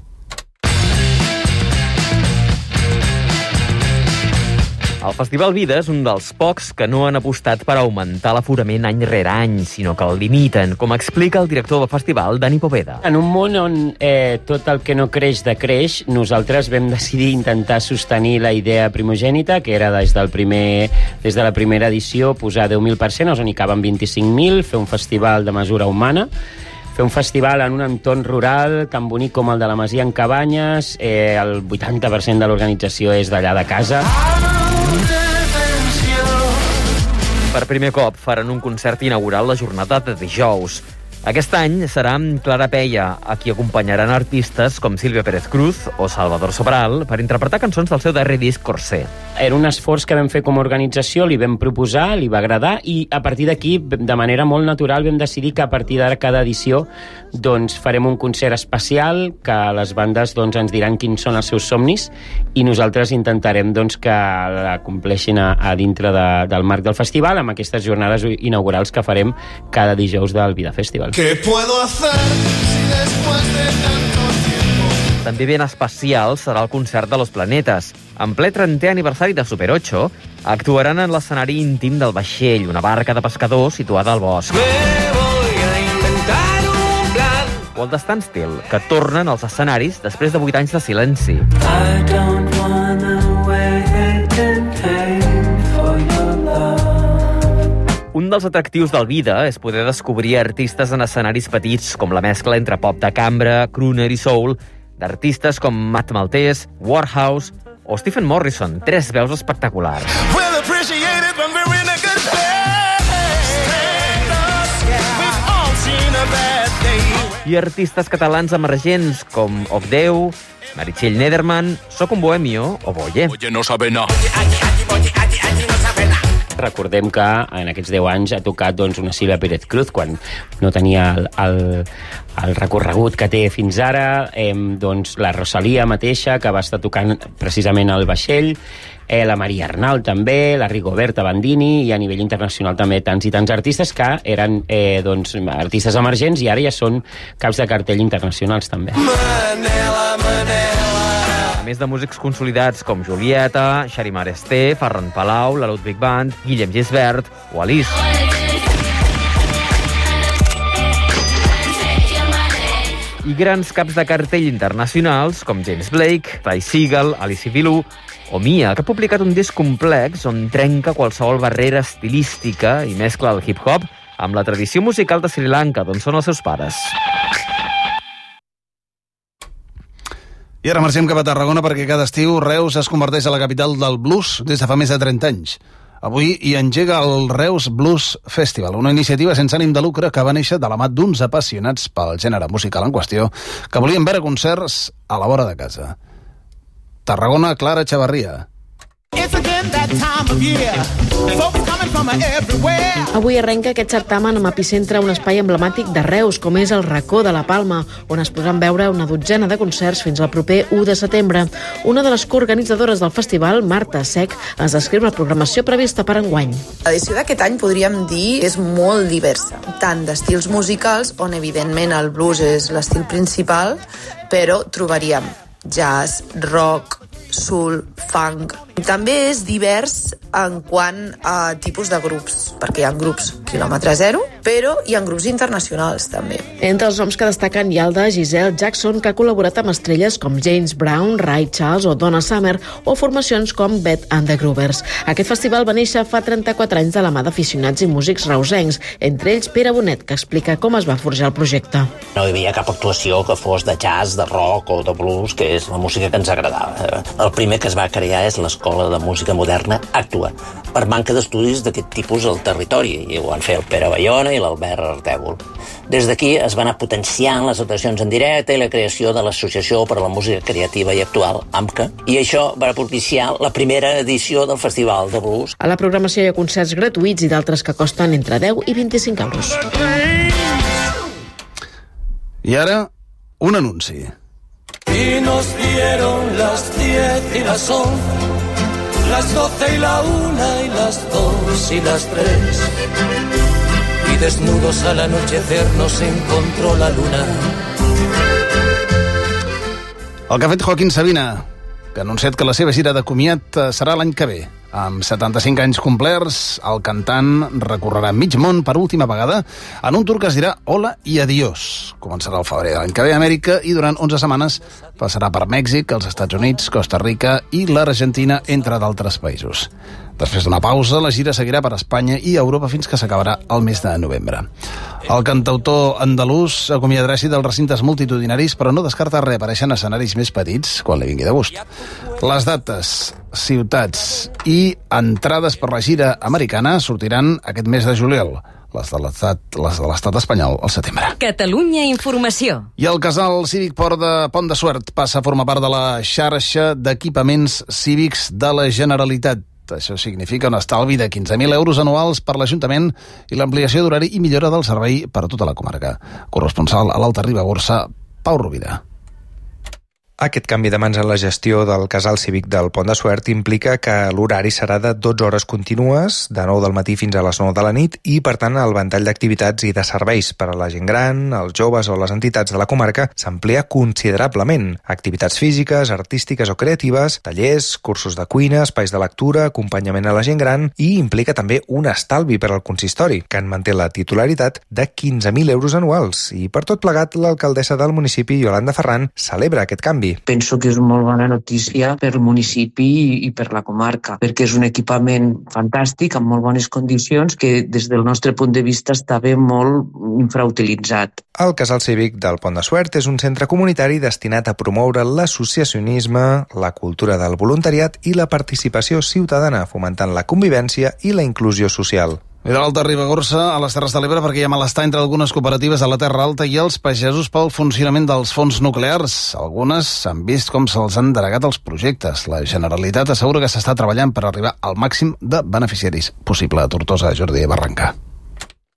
El Festival Vida és un dels pocs que no han apostat per augmentar l'aforament any rere any, sinó que el limiten, com explica el director del festival, Dani Poveda. En un món on tot el que no creix decreix, nosaltres vam decidir intentar sostenir la idea primogènita, que era des de la primera edició posar 10.000 persones, on hi caben 25.000, fer un festival de mesura humana, fer un festival en un entorn rural tan bonic com el de la Masia en Cabanyes, el 80% de l'organització és d'allà de casa. Per primer cop faran un concert inaugural la jornada de dijous. Aquest any serà amb Clara Peia, a qui acompanyaran artistes com Sílvia Pérez Cruz o Salvador Sobral per interpretar cançons del seu darrer disc Corsé. Era un esforç que vam fer com a organització, li vam proposar, li va agradar i a partir d'aquí, de manera molt natural, vam decidir que a partir d'ara cada edició doncs, farem un concert especial, que les bandes doncs, ens diran quins són els seus somnis i nosaltres intentarem doncs, que la compleixin a dintre del marc del festival amb aquestes jornades inaugurals que farem cada dijous del Vida Festival. ¿Qué puedo hacer si después de tanto tiempo? També ben especial serà el concert de Los Planetes. En ple 30è aniversari de Super 8, actuaran en l'escenari íntim del vaixell, una barca de pescadors situada al bosc. O el de Standstill, que tornen als escenaris després de 8 anys de silenci. Un dels atractius del Vida és poder descobrir artistes en escenaris petits, com la mescla entre pop de cambra, crooner i soul, d'artistes com Matt Maltese, Warhouse o Stephen Morrison, 3 veus espectaculars. We'll appreciate it when we're in a good place. We've all seen a bad day. I artistes catalans emergents com Ogdeu, Meritxell Nederman, Soc un bohemio o Boye. Oye, no sabe nada. Recordem que en aquests 10 anys ha tocat doncs, una Sílvia Pérez Cruz quan no tenia el recorregut que té fins ara, doncs, la Rosalía mateixa, que va estar tocant precisament al vaixell, la Maria Arnal també, la Rigoberta Bandini, i a nivell internacional també tants i tants artistes que eren doncs, artistes emergents i ara ja són caps de cartell internacionals també. A més de músics consolidats com Julieta, Xarimar Esté, Ferran Palau, la Ludwig Band, Guillem Gisbert o Alice. I grans caps de cartell internacionals com James Blake, Ty Segall, Alice Vilú o Mia, que ha publicat un disc complex on trenca qualsevol barrera estilística i mescla el hip-hop amb la tradició musical de Sri Lanka, d'on són els seus pares. I ara marxem cap a Tarragona perquè cada estiu Reus es converteix a la capital del blues des de fa més de 30 anys. Avui hi engega el Reus Blues Festival, una iniciativa sense ànim de lucre que va néixer de la mà d'uns apassionats pel gènere musical en qüestió que volien veure concerts a la vora de casa. Tarragona, Clara Chavarria. Avui arrenca aquest certamen amb epicentre un espai emblemàtic de Reus, com és el Racó de la Palma, on es podran veure una dotzena de concerts fins al proper 1 de setembre. Una de les coorganitzadores del festival, Marta Sec, ens descriu la programació prevista per enguany. L'edició d'aquest any podríem dir és molt diversa, tant d'estils musicals, on evidentment el blues és l'estil principal, però trobaríem jazz, rock, soul, funk. També és divers en quant a tipus de grups, perquè hi ha grups quilòmetre zero, però hi ha grups internacionals també. Entre els noms que destaquen hi ha el de Giselle Jackson, que ha col·laborat amb estrelles com James Brown, Ray Charles o Donna Summer, o formacions com Beth and the Groovers. Aquest festival va néixer fa 34 anys de la mà d'aficionats i músics reusencs, entre ells Pere Bonet, que explica com es va forjar el projecte. No hi havia cap actuació que fos de jazz, de rock o de blues, que és la música que ens agradava. El primer que es va crear és l'Escola de Música Moderna Actua, per manca d'estudis d'aquest tipus al territori, i ho van fer el Pere Bayona i l'Albert Artèvol. Des d'aquí es van anar potenciant les actuacions en directe i la creació de l'Associació per a la Música Creativa i Actual, AMCA, i això va propiciar la primera edició del Festival de Blues. A la programació hi ha concerts gratuïts i d'altres que costen entre 10 i 25 euros. I ara, un anunci. Y nos dieron las 10 y las 11, las 12 y la 1 y las 2 y las 3. Y desnudos al anochecer nos encontró la luna. El que ha fet Joaquín Sabina, que ha anunciat que la seva gira de comiat serà l'any que ve. Amb 75 anys complerts, el cantant recorrerà mig món per última vegada en un tour que es dirà Hola i Adiós. Començarà el febrer de l'any que ve a Amèrica i durant 11 setmanes passarà per Mèxic, els Estats Units, Costa Rica i l'Argentina, entre d'altres països. Després d'una pausa, la gira seguirà per Espanya i Europa fins que s'acabarà el mes de novembre. El cantautor andalús acomiadarà així dels recintes multitudinaris, però no descarta reaparèixer en escenaris més petits quan li vingui de gust. Les dates, ciutats i entrades per la gira americana sortiran aquest mes de juliol. Les de l'estat espanyol al setembre. Catalunya Informació. I el casal cívic Pont de Suert passa a formar part de la xarxa d'equipaments cívics de la Generalitat. Això significa un estalvi de 15.000 euros anuals per l'Ajuntament i l'ampliació d'horari i millora del servei per a tota la comarca. Corresponsal a l'Alta Ribagorça, Pau Rovira. Aquest canvi de mans en la gestió del casal cívic del Pont de Suert implica que l'horari serà de 12 hores contínues, de 9 del matí fins a les 9 de la nit, i, per tant, el ventall d'activitats i de serveis per a la gent gran, els joves o les entitats de la comarca s'amplia considerablement. Activitats físiques, artístiques o creatives, tallers, cursos de cuina, espais de lectura, acompanyament a la gent gran, i implica també un estalvi per al consistori, que en manté la titularitat de 15.000 euros anuals. I per tot plegat, l'alcaldessa del municipi, Iolanda Ferran, celebra aquest canvi. canvi. Penso que és una molt bona notícia per el municipi i per la comarca, perquè és un equipament fantàstic, amb molt bones condicions, que des del nostre punt de vista estava molt infrautilitzat. El Casal Cívic del Pont de Suert és un centre comunitari destinat a promoure l'associacionisme, la cultura del voluntariat i la participació ciutadana, fomentant la convivència i la inclusió social. I de l'Alta Ribagorça a les Terres de l'Ebre perquè hi ha malestar entre algunes cooperatives de la Terra Alta i els pagesos pel funcionament dels fons nuclears. Algunes han vist com se'ls han denegat els projectes. La Generalitat assegura que s'està treballant per arribar al màxim de beneficiaris possible. A Tortosa, Jordi Barrancà.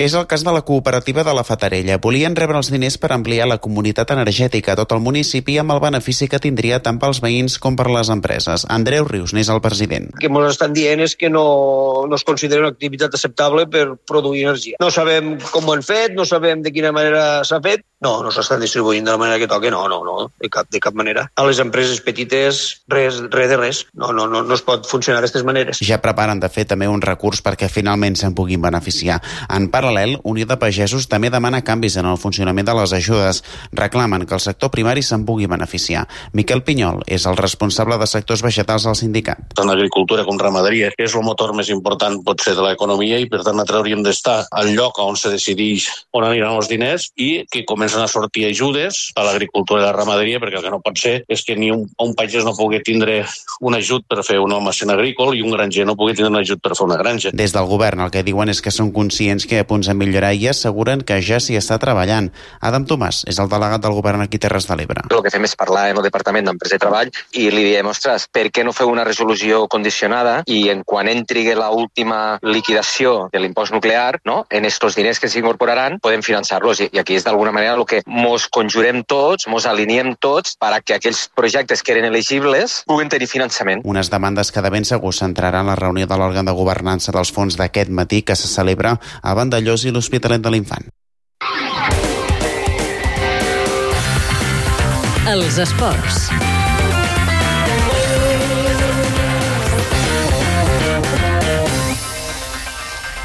És el cas de la cooperativa de la Fatarella. Volien rebre els diners per ampliar la comunitat energètica a tot el municipi amb el benefici que tindria tant pels veïns com per les empreses. Andreu Rius n'és el president. El que ens estan dient és que no es considera una activitat acceptable per produir energia. No sabem com ho han fet, no sabem de quina manera s'ha fet. No s'estan distribuint de la manera que toca. No, de cap manera. A les empreses petites, res de res. No es pot funcionar d'aquestes maneres. Ja preparen de fer també un recurs perquè finalment se'n puguin beneficiar. En paral·lel, Unió de Pagesos també demana canvis en el funcionament de les ajudes. Reclamen que el sector primari se'n pugui beneficiar. Miquel Pinyol és el responsable de sectors vegetals al sindicat. Tant agricultura com ramaderia és el motor més important potser de l'economia i per tant nosaltres hauríem d'estar al lloc on se decideix on aniran els diners i que comencen a sortir ajudes a l'agricultura i la ramaderia, perquè el que no pot ser és que ni un pagès no pugui tindre un ajut per fer una almacén agrícola i un granger no pugui tindre un ajut per fer una granja. Des del govern el que diuen és que són conscients que hi ha punts a millorar i asseguren que ja s'hi està treballant. Adam Tomàs és el delegat del govern aquí a Terres de l'Ebre. El que fem és parlar amb el Departament d'Empresa i Treball i li diem, ostres, per què no feu una resolució condicionada i en quan entri l'última liquidació de l'impost nuclear, no, en estos diners que s'incorporaran, podem finançar-los. I aquí és d'alguna manera el que mos conjurem tots, mos alineem tots perquè aquells projectes que eren elegibles puguen tenir finançament. Unes demandes que de ben segur centraran la reunió de l'òrgan de governança dels fons d'aquest matí que se celebra a Vandellós i l'Hospitalet de l'Infant. Els esports.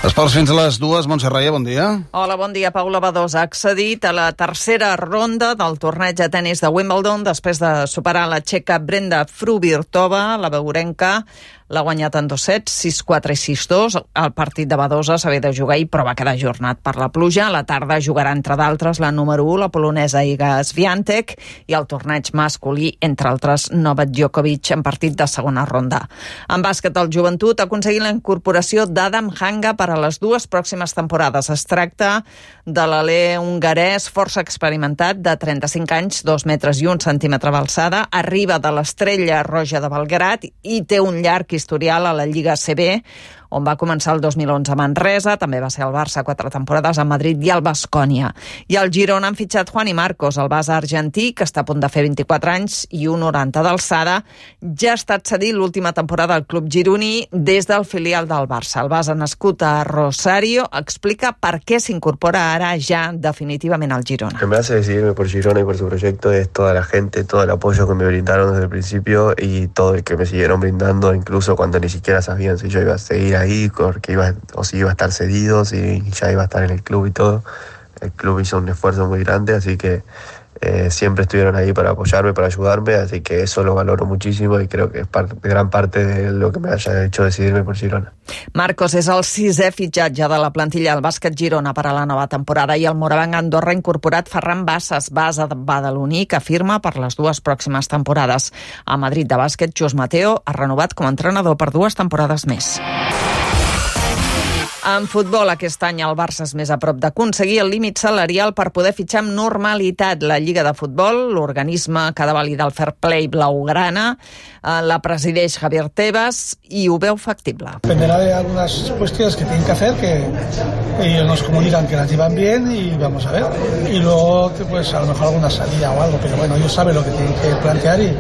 Esports fins a les 2. Montse Raia, bon dia. Hola, bon dia. Paula Badosa ha accedit a la tercera ronda del torneig de tennis de Wimbledon després de superar la txeca Brenda Fruhvirtova, la beurenca. L'ha guanyat en 2 sets, 6-4 i 6-2. El partit de Badosa s'havia de jugar ahir, però va quedar ajornat per la pluja. A la tarda jugarà, entre d'altres, la número 1, la polonesa Iga Swiatek, i el torneig masculí, entre altres, Novak Djokovic, en partit de segona ronda. En bàsquet, el Joventut ha aconseguit la incorporació d'Adam Hanga per a les 2 pròximes temporades. Es tracta de l'alè hongarès força experimentat, de 35 anys, 2 metres i 1 centímetre d'alçada. Arriba de l'Estrella Roja de Belgrat i té un llarg historial a la Lliga CB, on va començar el 2011 a Manresa, també va ser al Barça 4 temporades a Madrid i al Baskonia. I al Girona han fitxat Juani Marcos, el base argentí, que està a punt de fer 24 anys i 1,90 d'alçada. Ja ha estat cedit l'última temporada al club gironí des del filial del Barça. El base nascut a Rosario explica per què s'incorpora ara ja definitivament al Girona. Lo que me hace decidirme por Girona y por su proyecto es toda la gente, todo el apoyo que me brindaron desde el principio y todo el que me siguieron brindando, incluso cuando ni siquiera sabían si yo iba a seguir ahí, porque si iba a estar cedido, si ya iba a estar en el club y todo. El club hizo un esfuerzo muy grande, así que siempre estuvieron ahí para apoyarme, para ayudarme, así que eso lo valoro muchísimo y creo que es gran parte de lo que me haya hecho decidirme por Girona. Marcos és el 6è fitxatge de la plantilla del bàsquet Girona per a la nova temporada i el morabanc Andorra ha incorporat Ferran Bassas, base badaloní, que firma per les 2 pròximes temporades. A Madrid de bàsquet, Jus Mateo ha renovat com a entrenador per 2 temporades més. En futbol, aquest any el Barça és més a prop d'aconseguir el límit salarial per poder fitxar amb normalitat. La Lliga de Futbol, l'organisme que ha de validar el fair play blaugrana, la presideix Javier Tebas i ho veu factible. Dependerá de algunas cuestiones que tienen que hacer, que ellos nos comunican que las llevan bien y vamos a ver. Y luego, pues a lo mejor alguna salida o algo, pero bueno, ellos saben lo que tienen que plantear y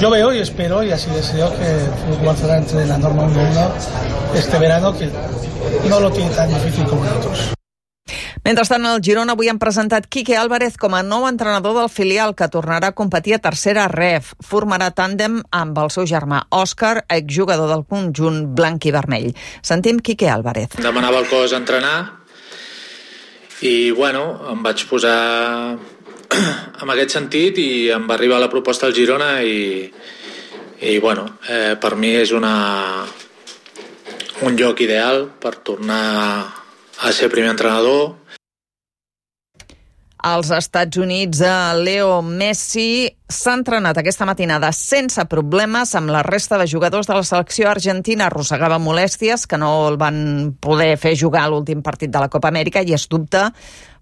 yo veo y espero y así deseo que el Fútbol Barcelona entre en la norma 1-1 este verano, que no lo tiene tan difícil com nosaltres. Mentrestant, el Girona avui han presentat Quique Álvarez com a nou entrenador del filial, que tornarà a competir a tercera ref. Formarà tàndem amb el seu germà Òscar, exjugador del conjunt blanc i vermell. Sentim Quique Álvarez. Demanava el cos a entrenar i, bueno, em vaig posar en aquest sentit i em va arribar la proposta al Girona i bueno, per mi és un lloc ideal per tornar a ser primer entrenador. Als Estats Units, Leo Messi s'ha entrenat aquesta matinada sense problemes amb la resta de jugadors de la selecció argentina. Arrossegava molèsties que no el van poder fer jugar a l'últim partit de la Copa Amèrica i es dubta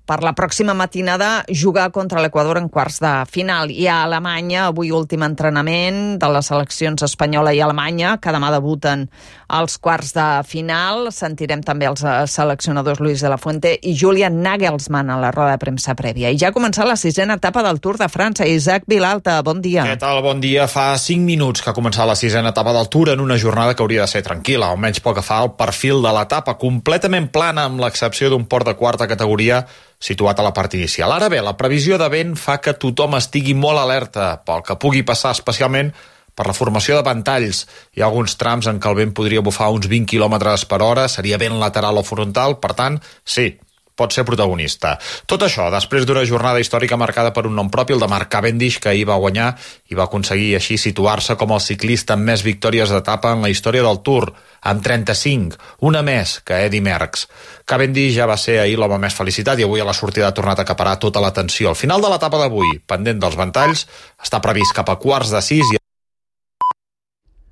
per la pròxima matinada jugar contra l'Equador en quarts de final. I a Alemanya, avui últim entrenament de les seleccions espanyola i alemanya, que demà debuten als quarts de final. Sentirem també els seleccionadors Luis de la Fuente i Julian Nagelsmann a la roda de premsa prèvia. I ja ha començat la 6ª etapa del Tour de França. Isaac Vilalta, bon dia. Què tal? Bon dia. Fa 5 minuts que ha començat la 6ª etapa del Tour en una jornada que hauria de ser tranquil·la, almenys pel que fa al perfil de l'etapa, completament plana amb l'excepció d'un port de quarta categoria situat a la part inicial. Ara bé, la previsió de vent fa que tothom estigui molt alerta pel que pugui passar, especialment per la formació de ventalls. Hi ha alguns trams en què el vent podria bufar uns 20 km per hora, seria vent lateral o frontal, per tant, sí, pot ser protagonista. Tot això després d'una jornada històrica marcada per un nom propi, el de Mark Cavendish, que ahir va guanyar i va aconseguir així situar-se com el ciclista amb més victòries d'etapa en la història del Tour, amb 35, una més que Eddy Merckx. Cavendish ja va ser ahir l'home més felicitat i avui a la sortida ha tornat a acaparar tota l'atenció. Al final de l'etapa d'avui, pendent dels ventalls, està previst cap a quarts de 6 i